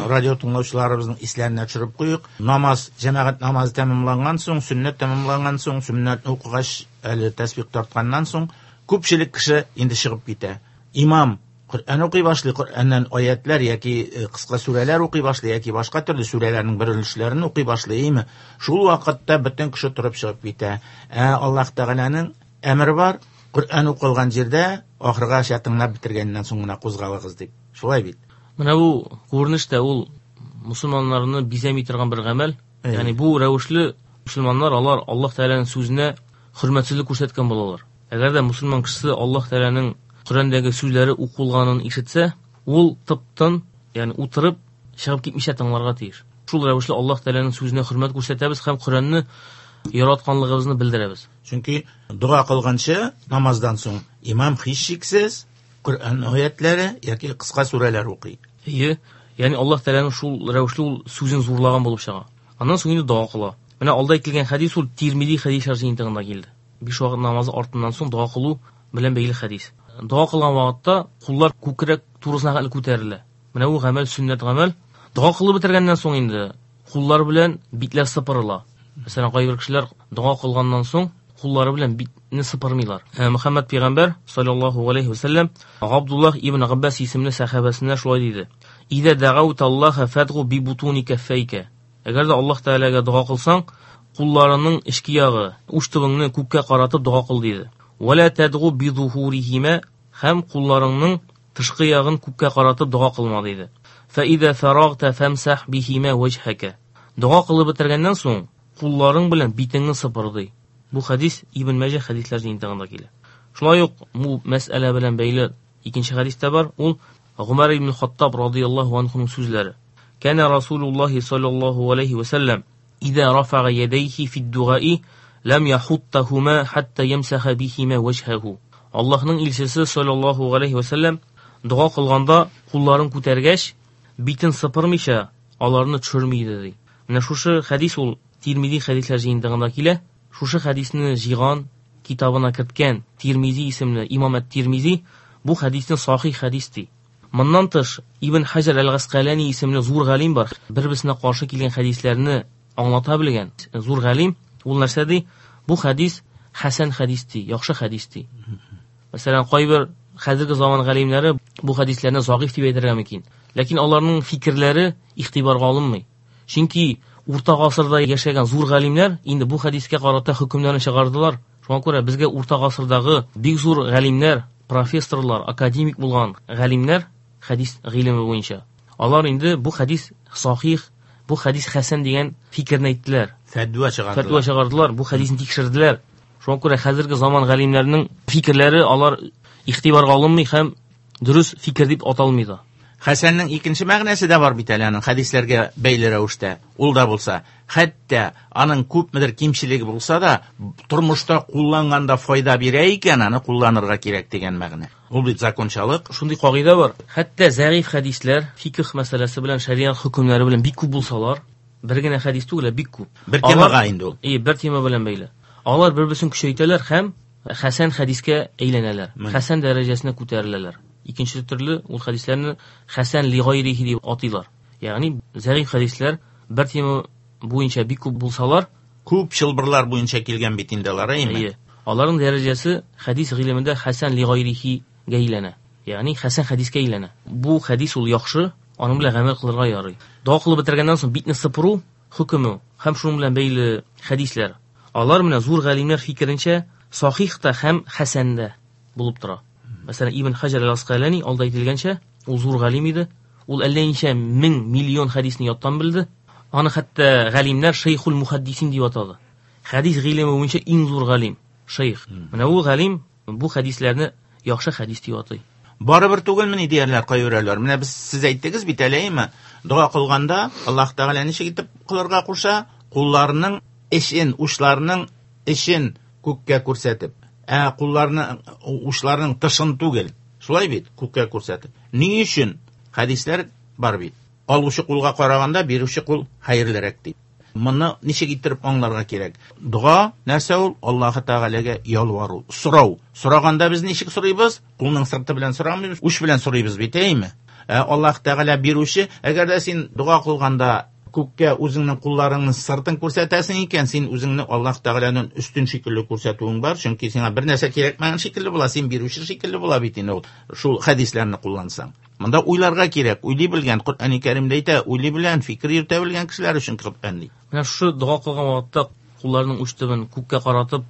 радио тыңлаучыларыбызның исләренә төшереп куйык. Намаз, җәмәгать намазы тәмамланган соң, сөннәт тәмамланган соң, сөннәтне укыгач, әле тәсбих тартканнан соң, күпчелек кеше инде чыгып китә. Имам Коръән укый башлый, Коръәннән аятлар яки кыска сүрәләр укый башлый, яки башка төрле сүрәләрнең бер өлешләрен укый башлый, әйме? Шул вакытта бөтен кеше торып чыгып китә. Ә Аллаһ Тәгаләнең әмере бар, Коръән укылган җирдә ахыргача тыңлап бетергәннән соң гына кузгалыгыз дип. Шулай бит. Менә бу күренеш тә ул мусульманнарны бизәми торган бер гамәл. Ягъни бу рәвешле мусульманнар алар Аллаһ Тәгаләнең сүзенә хөрмәтсезлек күрсәткән булалар. Әгәр дә мусульман кешесе Аллаһ Тәгаләнең Коръәндәге сүзләре укылганын ишетсә, ул тып-тын, ягъни утырып чыгып китмичә тыңларга тиеш. Шул рәвешле Аллаһ Тәгаләнең сүзенә хөрмәт күрсәтәбез һәм Коръәнне яратканлыгыбызны белдерәбез. Чөнки дога кылганчы намаздан соң имам һичшиксез Коръән аятлары яки кыска сүрәләр укый. Әйе, ягъни Аллаһ Тәгаләнең шул рәвешле ул сүзен зурлаган булып чыга. Аннан соң инде дога кыла. Менә алда әйтелгән хәдис ул Тирмизи хәдисләр җыентыгында килде. Биш вакыт намазы артыннан соң дога кылу белән бәйле хәдис. Дога кылган вакытта куллар күкрәк турысына хәтле күтәрелә. Менә бу гамәл сөннәт гамәл. Дога кылып бетергәннән соң инде куллар белән битләр сыпырыла. Мәсәлән, кайбер кешеләр дога кылганнан соң куллары белән битне сыпырмыйлар. Мөхәммәд пәйгамбәр саллаллаһу алейһи ва сәлләм Габдуллаһ ибн Габбас исемле сәхабәсенә шулай диде: "Иза дагаута Аллаһа фадгу би бутуни каффайка." Әгәр дә Аллаһ Тәгаләгә дога кылсаң, кулларының эчке ягы, уч төбеңне күккә каратып дога кыл диде. Ва ла тадгу би зухурихима, һәм кулларыңның тышкы ягын күккә каратып дога кылма диде. Фа иза фарагта фамсах бихима ваҗхака. Дога кылып бетергәннән соң кулларың белән битеңне сыпыр ди. Бу хадис Ибн Мәҗә хадисләр җыентыгында килә. Шулай ук бу мәсьәлә белән бәйле икенче хадис тә бар. Ул Гомәр ибн Хаттаб радыяллаһу анһуның сүзләре. Кана Расулуллаһи саллаллаһу алейхи ва саллям иза рафага ядайхи фид-дугаи лам яхуттахума хатта ямсаха бихима ваҗһаху. Аллаһның илчесе саллаллаһу алейхи ва саллям дога кылганда кулларын күтәргәч, битен сыпырмыйча аларны төшерми иде ди. Менә шушы хадис ул Тирмизи хадисләр җыентыгында килә. Шушы хадисне җыйган, китабына керткән Тирмизи исемле имам әт-Тирмизи бу хадисне сахих хадис ди. Моннан тыш Ибн Хаҗар әл-Гаскалани исемле зур галим бар. Бер-берсенә каршы килгән хадисләрне аңлата белгән зур галим. Ул нәрсә ди? Бу хадис хәсән хадис ди, яхшы хадис ди. Мәсәлән, кайбер хәзерге заман галимнәре бу хадисләрне зәгыйф дип әйтергә мөмкин. Ләкин аларның фикерләре игътибарга алынмый. Чөнки урта гасырда яшәгән зур галимнәр инде бу хадискә карата хөкемнәрен чыгардылар. Шуңа күрә безгә урта гасырдагы бик зур галимнәр, профессорлар, академик булган галимнәр хадис гыйлеме буенча алар инде бу хадис сахих, бу хадис хәсән дигән фикерне әйттеләр. Фәтва чыгардылар. Фәтва чыгардылар, бу хадисне тикшерделәр. Шуңа күрә хәзерге заман галимнәренең фикерләре алар игътибарга алынмый һәм дөрес фикер дип аталмый да. Хәсәннең икенче мәгънәсе дә бар бит әле аның хадисләргә бәйле рәвештә. Ул да булса, хәтта аның күпмедер кимчелеге булса да, тормышта кулланганда файда бирә икән, аны кулланырга кирәк дигән мәгънә. Ул бит закончалык. Шундый кагыйдә бар. Хәтта зәгыйф хадисләр фикх мәсьәләсе белән, шәриат хөкемнәре белән бик күп булсалар, бер генә хадис түгел, ә бик күп. Бер темага инде ул. Ие, бер тема белән бәйле. Алар бер-берсен көчәйтәләр һәм хәсән хадискә әйләнәләр. Хәсән дәрәҗәсенә күтәреләләр. Икенче төрле ул хадисләрне хәсән ли гайрихи дип атыйлар. Ягъни зәгыйф хадисләр бер тема буенча бик күп булсалар, күп чылбырлар буенча килгән бит инде алар, әйеме? Әйе. Аларның дәрәҗәсе хадис гыйлемендә хәсән ли гайрихигә әйләнә. Ягъни хәсән хадискә әйләнә. Бу хадис ул яхшы, аның белән гамәл кылырга ярый. Дога кылып бетергәннән соң битне сыпыру хөкеме һәм шуның белән бәйле хадисләр. Алар менә зур галимнәр фикеренчә сахих та һәм хәсән дә булып тора. Мәсәлән, Ибн Хаҗар әл-Асқалани алда әйтелгәнчә, ул зур галим иде. Ул әллә ничә мең миллион хадисне яттан белде. Аны хәтта галимнәр шейхул мухаддисин дип атады. Хадис гыйлеме буенча иң зур галим, шейх. Менә ул галим бу хадисләрне яхшы хадис дип атый. Барыбер түгелмени диярләр кайберәүләр. Менә без сез әйттегез бит әле, әйеме? Дога кылганда Аллаһ Тәгалә ничек итеп кылырга куша? Кулларының эшен, учларының эшен күккә күрсәтеп. Ә кулларны, учларының тышын түгел. Шулай бит, күккә күрсәтеп. Ни өчен? Хадисләр бар бит. Алучы кулга караганда бирүче кул хәерлерәк дип. Моны ничек иттереп аңларга кирәк? Дога нәрсә ул? Аллаһ Тәгаләгә ялвару, сорау. Сораганда без ничек сорыйбыз? Кулның сырты белән сорамыйбыз, уч белән сорыйбыз бит, әйеме? Ә Аллаһ Тәгалә бирүче, әгәр дә син дога кылганда күккә үзеңнең кулларыңның сыртын күрсәтәсең икән, син үзеңне Аллаһ Тәгаләнең өстен шикелле күрсәтүең бар, чөнки сиңа бер нәрсә кирәкмәгән шикелле була, син бирүче шикелле була бит инде ул, шул хадисләрне куллансаң. Монда уйларга кирәк, уйлый белгән, Коръәни Кәримдә әйтә, уйлый белгән, фикер йөртә белгән кешеләр өчен Коръән ди. Менә шушы дога кылган вакытта кулларның уч төбен күккә каратып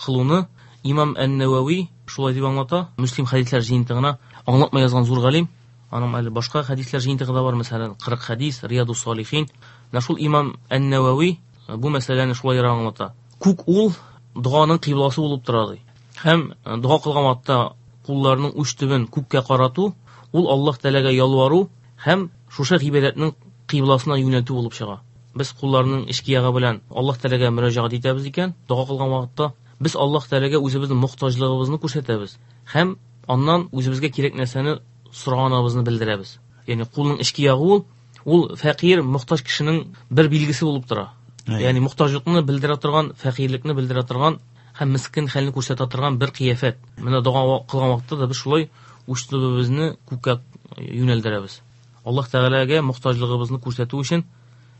кылуны Имам ән-Нәвәви шулай дип аңлата, Муслим хадисләр җыентыгына аңлатма язган зур галим. Аның әле башка хадисләр җыентыгы да бар, мәсәлән, кырык хадис, Риядус Салихин. Менә шул Имам ән-Нәвәви бу мәсьәләне шулайрак аңлата. Күк ул доганың кыйбласы булып тора ди. Һәм дога кылган вакытта кулларның уч төбен күккә карату, ул Аллаһ Тәгаләгә ялвару һәм шушы гыйбадәтнең кыйбласына юнәлтү булып чыга. Без кулларның эчке ягы белән Аллаһ Тәгаләгә мөрәҗәгать итәбез икән, дога кылган вакытта без Аллаһ Тәгаләгә үзебезнең мохтаҗлыгыбызны күрсәтәбез һәм аннан үзебезгә кирәк нәрсәне сораганыбызны белдерәбез. Ягъни кулның эчке ягы ул, ул фәкыйрь, мохтаҗ кешенең бер билгесе булып тора. Ягъни мохтаҗлыкны белдерә торган, фәкыйрьлекне белдерә торган һәм мискин хәлне күрсәтә торган бер кыяфәт. Менә дога кылган вакытта да без шулай уч төбебезне күккә юнәлдерәбез. Аллаһ Тәгаләгә мохтаҗлыгыбызны күрсәтү өчен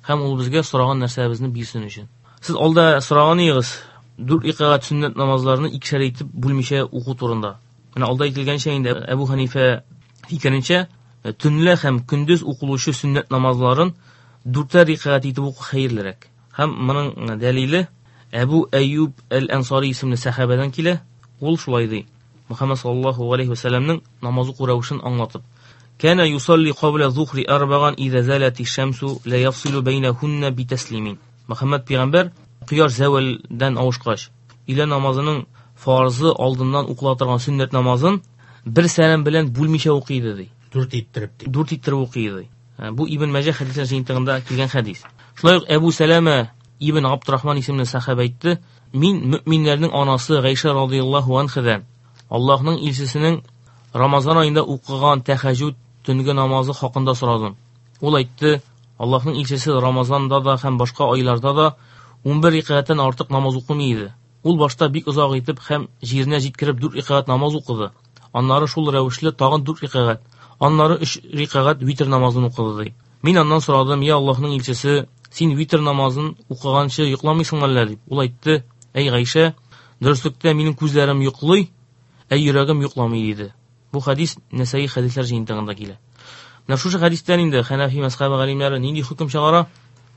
һәм ул безгә сораган нәрсәбезне бирсен өчен. Сез алда сораган идегез, дүрт рәкәгать сөннәт намазларны икешәр итеп бүлмичә уку турында. Менә алда әйтелгәнчә инде Әбу Ханифә фикеренчә, төнлә һәм көндез укылучы сөннәт намазларын дүртәр рәкәгать итеп уку хәерлерәк. Һәм моның дәлиле Әбу Әйюб әл-Ансари исемле сәхабәдән килә. Ул шулай ди. Мөхәммәд саллаллаһу алейхи ва сәлләмнең намаз уку рәвешен аңлатып: Кана юсалли кабла зухри арбаган иза залати шамсу ла яфсилу бейнахунна битаслимин. Мөхәммәд пәйгамбәр кояш зәвәлдән авышкач, өйлә намазының фарзы алдыннан укыла торган сөннәт намазын бер сәлам белән бүлмичә укый иде ди. Дүрт иттереп ди. Дүрт иттереп укый иде. Бу Ибн Мәҗә хәдисләр җыентыгында килгән хәдис. Шулай ук Әбу Сәләмә ибн Абдурахман исемле сәхабә әйтте: "Мин мөэминнәрнең анасы Гайшә радыяллаһу анһадан Аллаһның илчесенең Рамазан аенда укыган тәһәҗҗүд төнге намазы хакында сорадым. Ул әйтте: Аллаһның илчесе Рамазанда да һәм башка айларда да унбер рәкәгатьтән артык намаз укымый иде. Ул башта бик озак итеп һәм җиренә җиткереп дүрт рәкәгать намаз укыды. Аннары шул рәвешле тагын дүрт рәкәгать, аннары өч рәкәгать витр намазын укыды ди. Мин аннан сорадым: "Я Аллаһның илчесе, син витр намазын укыганчы йокламыйсыңмы әллә?" дип. Ул әйтте: "Әй Гайшә, дөреслектә минем күзләрем йоклый, ә йөрәгем йокламый" диде. Бу хәдис Нәсәи хәдисләр җыентыгында килә. Менә шушы хәдистән инде Хәнәфи мәзһәбе галимнәре нинди хөкем чыгара?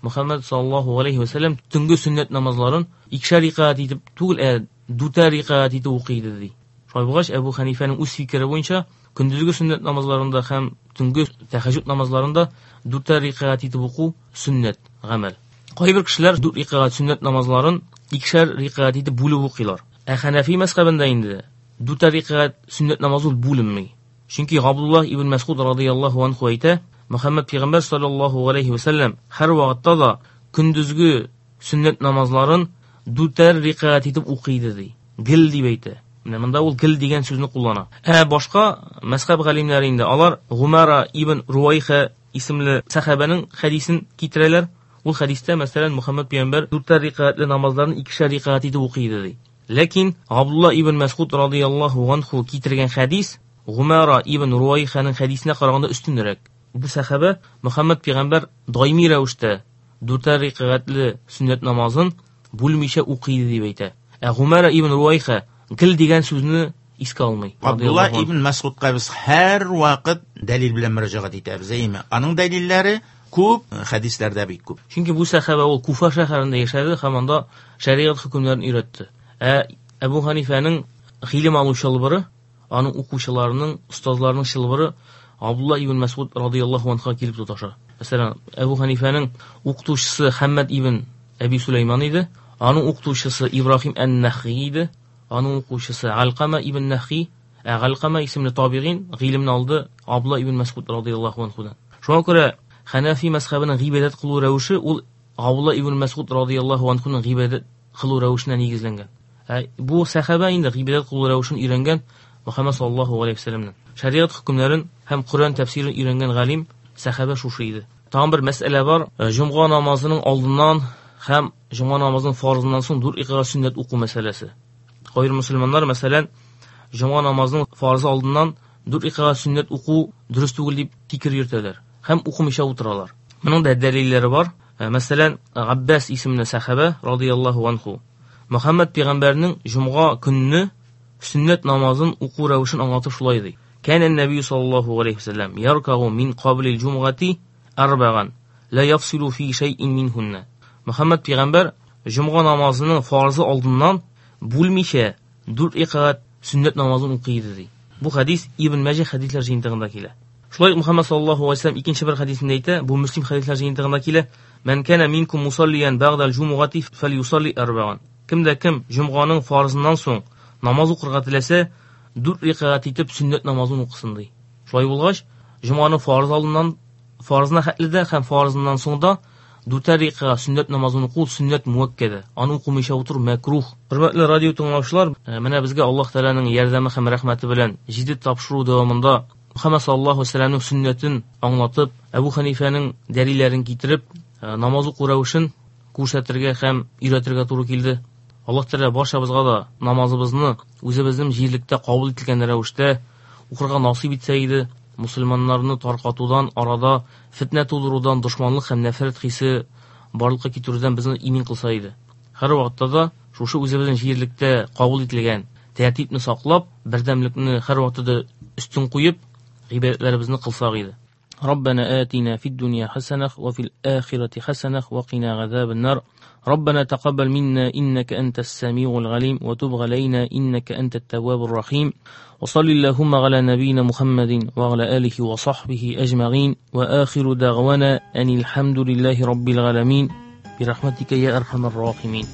Мөхәммәд саллаллаһу алейһи ва сәлләм төнге сөннәт намазларын икешәр рәкәгать итеп түгел, ә дүртәр рәкәгать итеп укый иде ди. Шулай булгач, Әбу Хәнифәнең үз фикере буенча көндезге сөннәт намазларында һәм төнге тәһәҗҗүд намазларында дүртәр рәкәгать итеп уку сөннәт гамәл. Кайбер кешеләр дүрт рәкәгать сөннәт намазларын икешәр рәкәгать итеп бүлеп укыйлар. Ә Хәнәфи мәзһәбендә инде дүртәр рәкәгать сөннәт намазы ул бүленми. Чөнки Габдуллаһ ибн Мәсгуд радыяллаһу анһу әйтә: Мөхәммәд пәйгамбәр саллаллаһу алейһи ва сәлләм һәр вакытта да көндезге сөннәт намазларын дүртәр рәкәгать итеп укый иде ди. Гел дип әйтә. Менә монда ул гел дигән сүзне куллана. Ә башка мәзһәб галимнәре инде алар Гумара ибн Руайха исемле сәхабәнең хәдисен китерәләр. Ул хәдистә, мәсәлән, Мөхәммәд пәйгамбәр дүртәр рәкәгатьле намазларын икешәр рәкәгать итеп укый иде ди. Ләкин Габдулла ибн Мәсгуд радыяллаһу анһу китергән хәдис Гумара ибн Руайханың хәдисенә караганда өстенрәк. Бу сәхабә Мөхәммәд пәйгамбәр даими рәвештә дүртәр рәкәгатьле сөннәт намазын бүлмичә укый иде дип әйтә. Ә Гумара ибн Руайха гел дигән сүзне искә алмый. Абдулла ибн Мәсгудка без һәр вакыт дәлил белән мөрәҗәгать итәбез, әйеме? Аның дәлилләре күп, хәдисләрдә бик күп. Чөнки бу сәхабә ул Куфа шәһәрендә яшәде һәм анда шәригать хөкемнәрен өйрәтте. Ә Әбу Ханифәнең гыйлем алу чылбыры, аның укучыларының, остазларының чылбыры Абдулла ибн Мәсгуд радыяллаһу анһуга килеп тоташа. Мәсәлән, Әбу Ханифәнең укытучысы Хәммәд ибн Әби Сулейман иде, аның укытучысы Ибраһим ән-Нахи иде, аның укучысы Алкама ибн Нахи, ә Алкама исемле табигин гыйлемне алды Абдулла ибн Мәсгуд радыяллаһу анһудан. Шуңа күрә Хәнәфи мәзһәбенең гыйбадәт кылу рәвеше ул Абдулла ибн Мәсгуд радыяллаһу анһуның гыйбадәт кылу рәвешенә нигезләнгән. Ә бу сәхабә инде гыйбадәт кылу рәвешен өйрәнгән Мөхәммәд саллаллаһу алейһи ва сәлләмнән. Шәригать хөкемнәрен һәм Коръән тәфсирен өйрәнгән галим сәхабә шушы иде. Тагын бер мәсьәлә бар. Җомга намазының алдыннан һәм җомга намазының фарызыннан соң дүрт рәкәгать сөннәт уку мәсьәләсе. Кайбер мөселманнар, мәсәлән, җомга намазының фарызы алдыннан дүрт рәкәгать сөннәт уку дөрес түгел дип фикер йөртәләр һәм укымыйча утыралар. Моның да дәлилләре бар. Мәсәлән, Габбас исемле сәхабә радыяллаһу анһу Мөхәммәд пәйгамбәрнең җомга көнне сөннәт намазын уку рәвешен аңлатып шулай ди. Кәнә нәби саллаллаһу алейһи ва сәлләм яркагу мин каблил җумгати арбаган ла яфсилу фи шәйин минһунна. Мөхәммәд пәйгамбәр җомга намазының фарызы алдыннан бүлмичә дүрт рәкәгать сөннәт намазын укый иде ди. Бу хәдис Ибн Мәҗә хәдисләр җыентыгында килә. Шулай ук Мөхәммәд саллаллаһу алейһи ва сәлләм икенче бер хәдисендә әйтә, бу Мөслим хәдисләр җыентыгында килә: "Мән кана минкум мусаллиян бәгъдал җумгати фәлюсалли арбаган." Кемдә кем җомганың фарызыннан соң намаз укырга теләсә, дүрт рәкәгать итеп сөннәт намазын укысын ди. Шулай булгач, җомганың фарыз алдыннан фарызына хәтле дә һәм фарызыннан соң да дүртәр рәкәгать сөннәт намазын уку сөннәт муәккәдә. Аны укымыйча утыру мәкрух. Хөрмәтле радио тыңлаучылар, менә безгә Аллаһ Тәгаләнең ярдәме һәм рәхмәте белән җиде тапшыру дәвамында Мөхәммәд саллаллаһу алейһи ва сәлләмнең сөннәтен аңлатып, Әбу Хәнифәнең дәлилләрен китереп, намаз уку рәвешен күрсәтергә һәм өйрәтергә туры килде. Аллаһ Тәгалә барчабызга да намазыбызны үзебезнең җирлектә кабул ителгән рәвештә укырга насыйп итсә иде. Мусульманнарны таркатудан, арада фитнә тудырудан, дошманлык һәм нәфрәт хисе барлыкка китерүдән безне имин кылса иде. Һәр вакытта да шушы үзебезнең җирлектә кабул ителгән тәртипне саклап, бердәмлекне һәр вакытта да өстен куеп, гыйбадәтләребезне кылсак иде. ربنا آتنا في الدنيا حسنة وفي الآخرة حسنة وقنا عذاب النار. ربنا تقبل منا إنك أنت السميع العليم وتب علينا إنك أنت التواب الرحيم. وصل اللهم على نبينا محمد وعلى آله وصحبه أجمعين. وآخر دعوانا أن الحمد لله رب العالمين برحمتك يا أرحم الراحمين.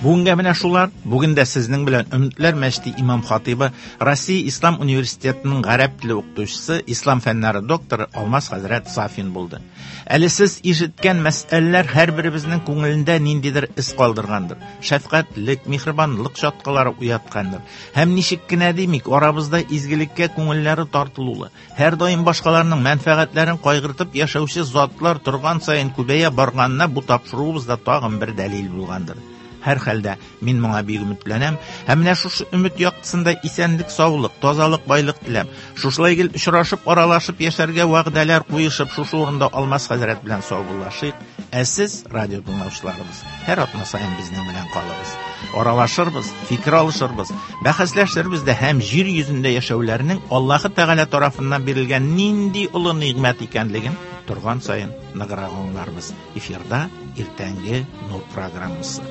Бүгенгә менә шулар. Бүген дә сезнең белән Өметләр мәчете имам хатибы, Россия Ислам университетының гарәп теле укытучысы, ислам фәннәре докторы Алмаз хәзрәт Сафин булды. Әле сез ишеткән мәсьәләләр һәрберебезнең күңелендә ниндидер эз калдыргандыр. Шәфкатьлек, миһербанлык чаткылары уяткандыр. Һәм ничек кенә димик, арабызда изгелеккә күңелләре тартылулы, һәрдаим башкаларның мәнфәгатьләрен кайгыртып яшәүче затлар торган саен күбәя барганына бу тапшыруыбызда тагын бер дәлил булгандыр. Һәр хәлдә мин моңа бик өметләнәм һәм менә шушы өмет яктысында исәнлек, саулык, тазалык, байлык теләп, шушылай гел очрашып, аралашып яшәргә вәгъдәләр куешып, шушы урында Алмаз хәзрәт белән саубуллашыйк. Ә сез, радио тыңлаучыларыбыз, һәр атна саен безнең белән калыгыз. Аралашырбыз, фикер алышырбыз, бәхәсләшербез дә һәм җир йөзендә яшәүләрнең Аллаһы Тәгалә тарафыннан бирелгән нинди олы нигъмәт икәнлеген торган саен ныграк аңларбыз. Эфирда иртәнге Нур программасы.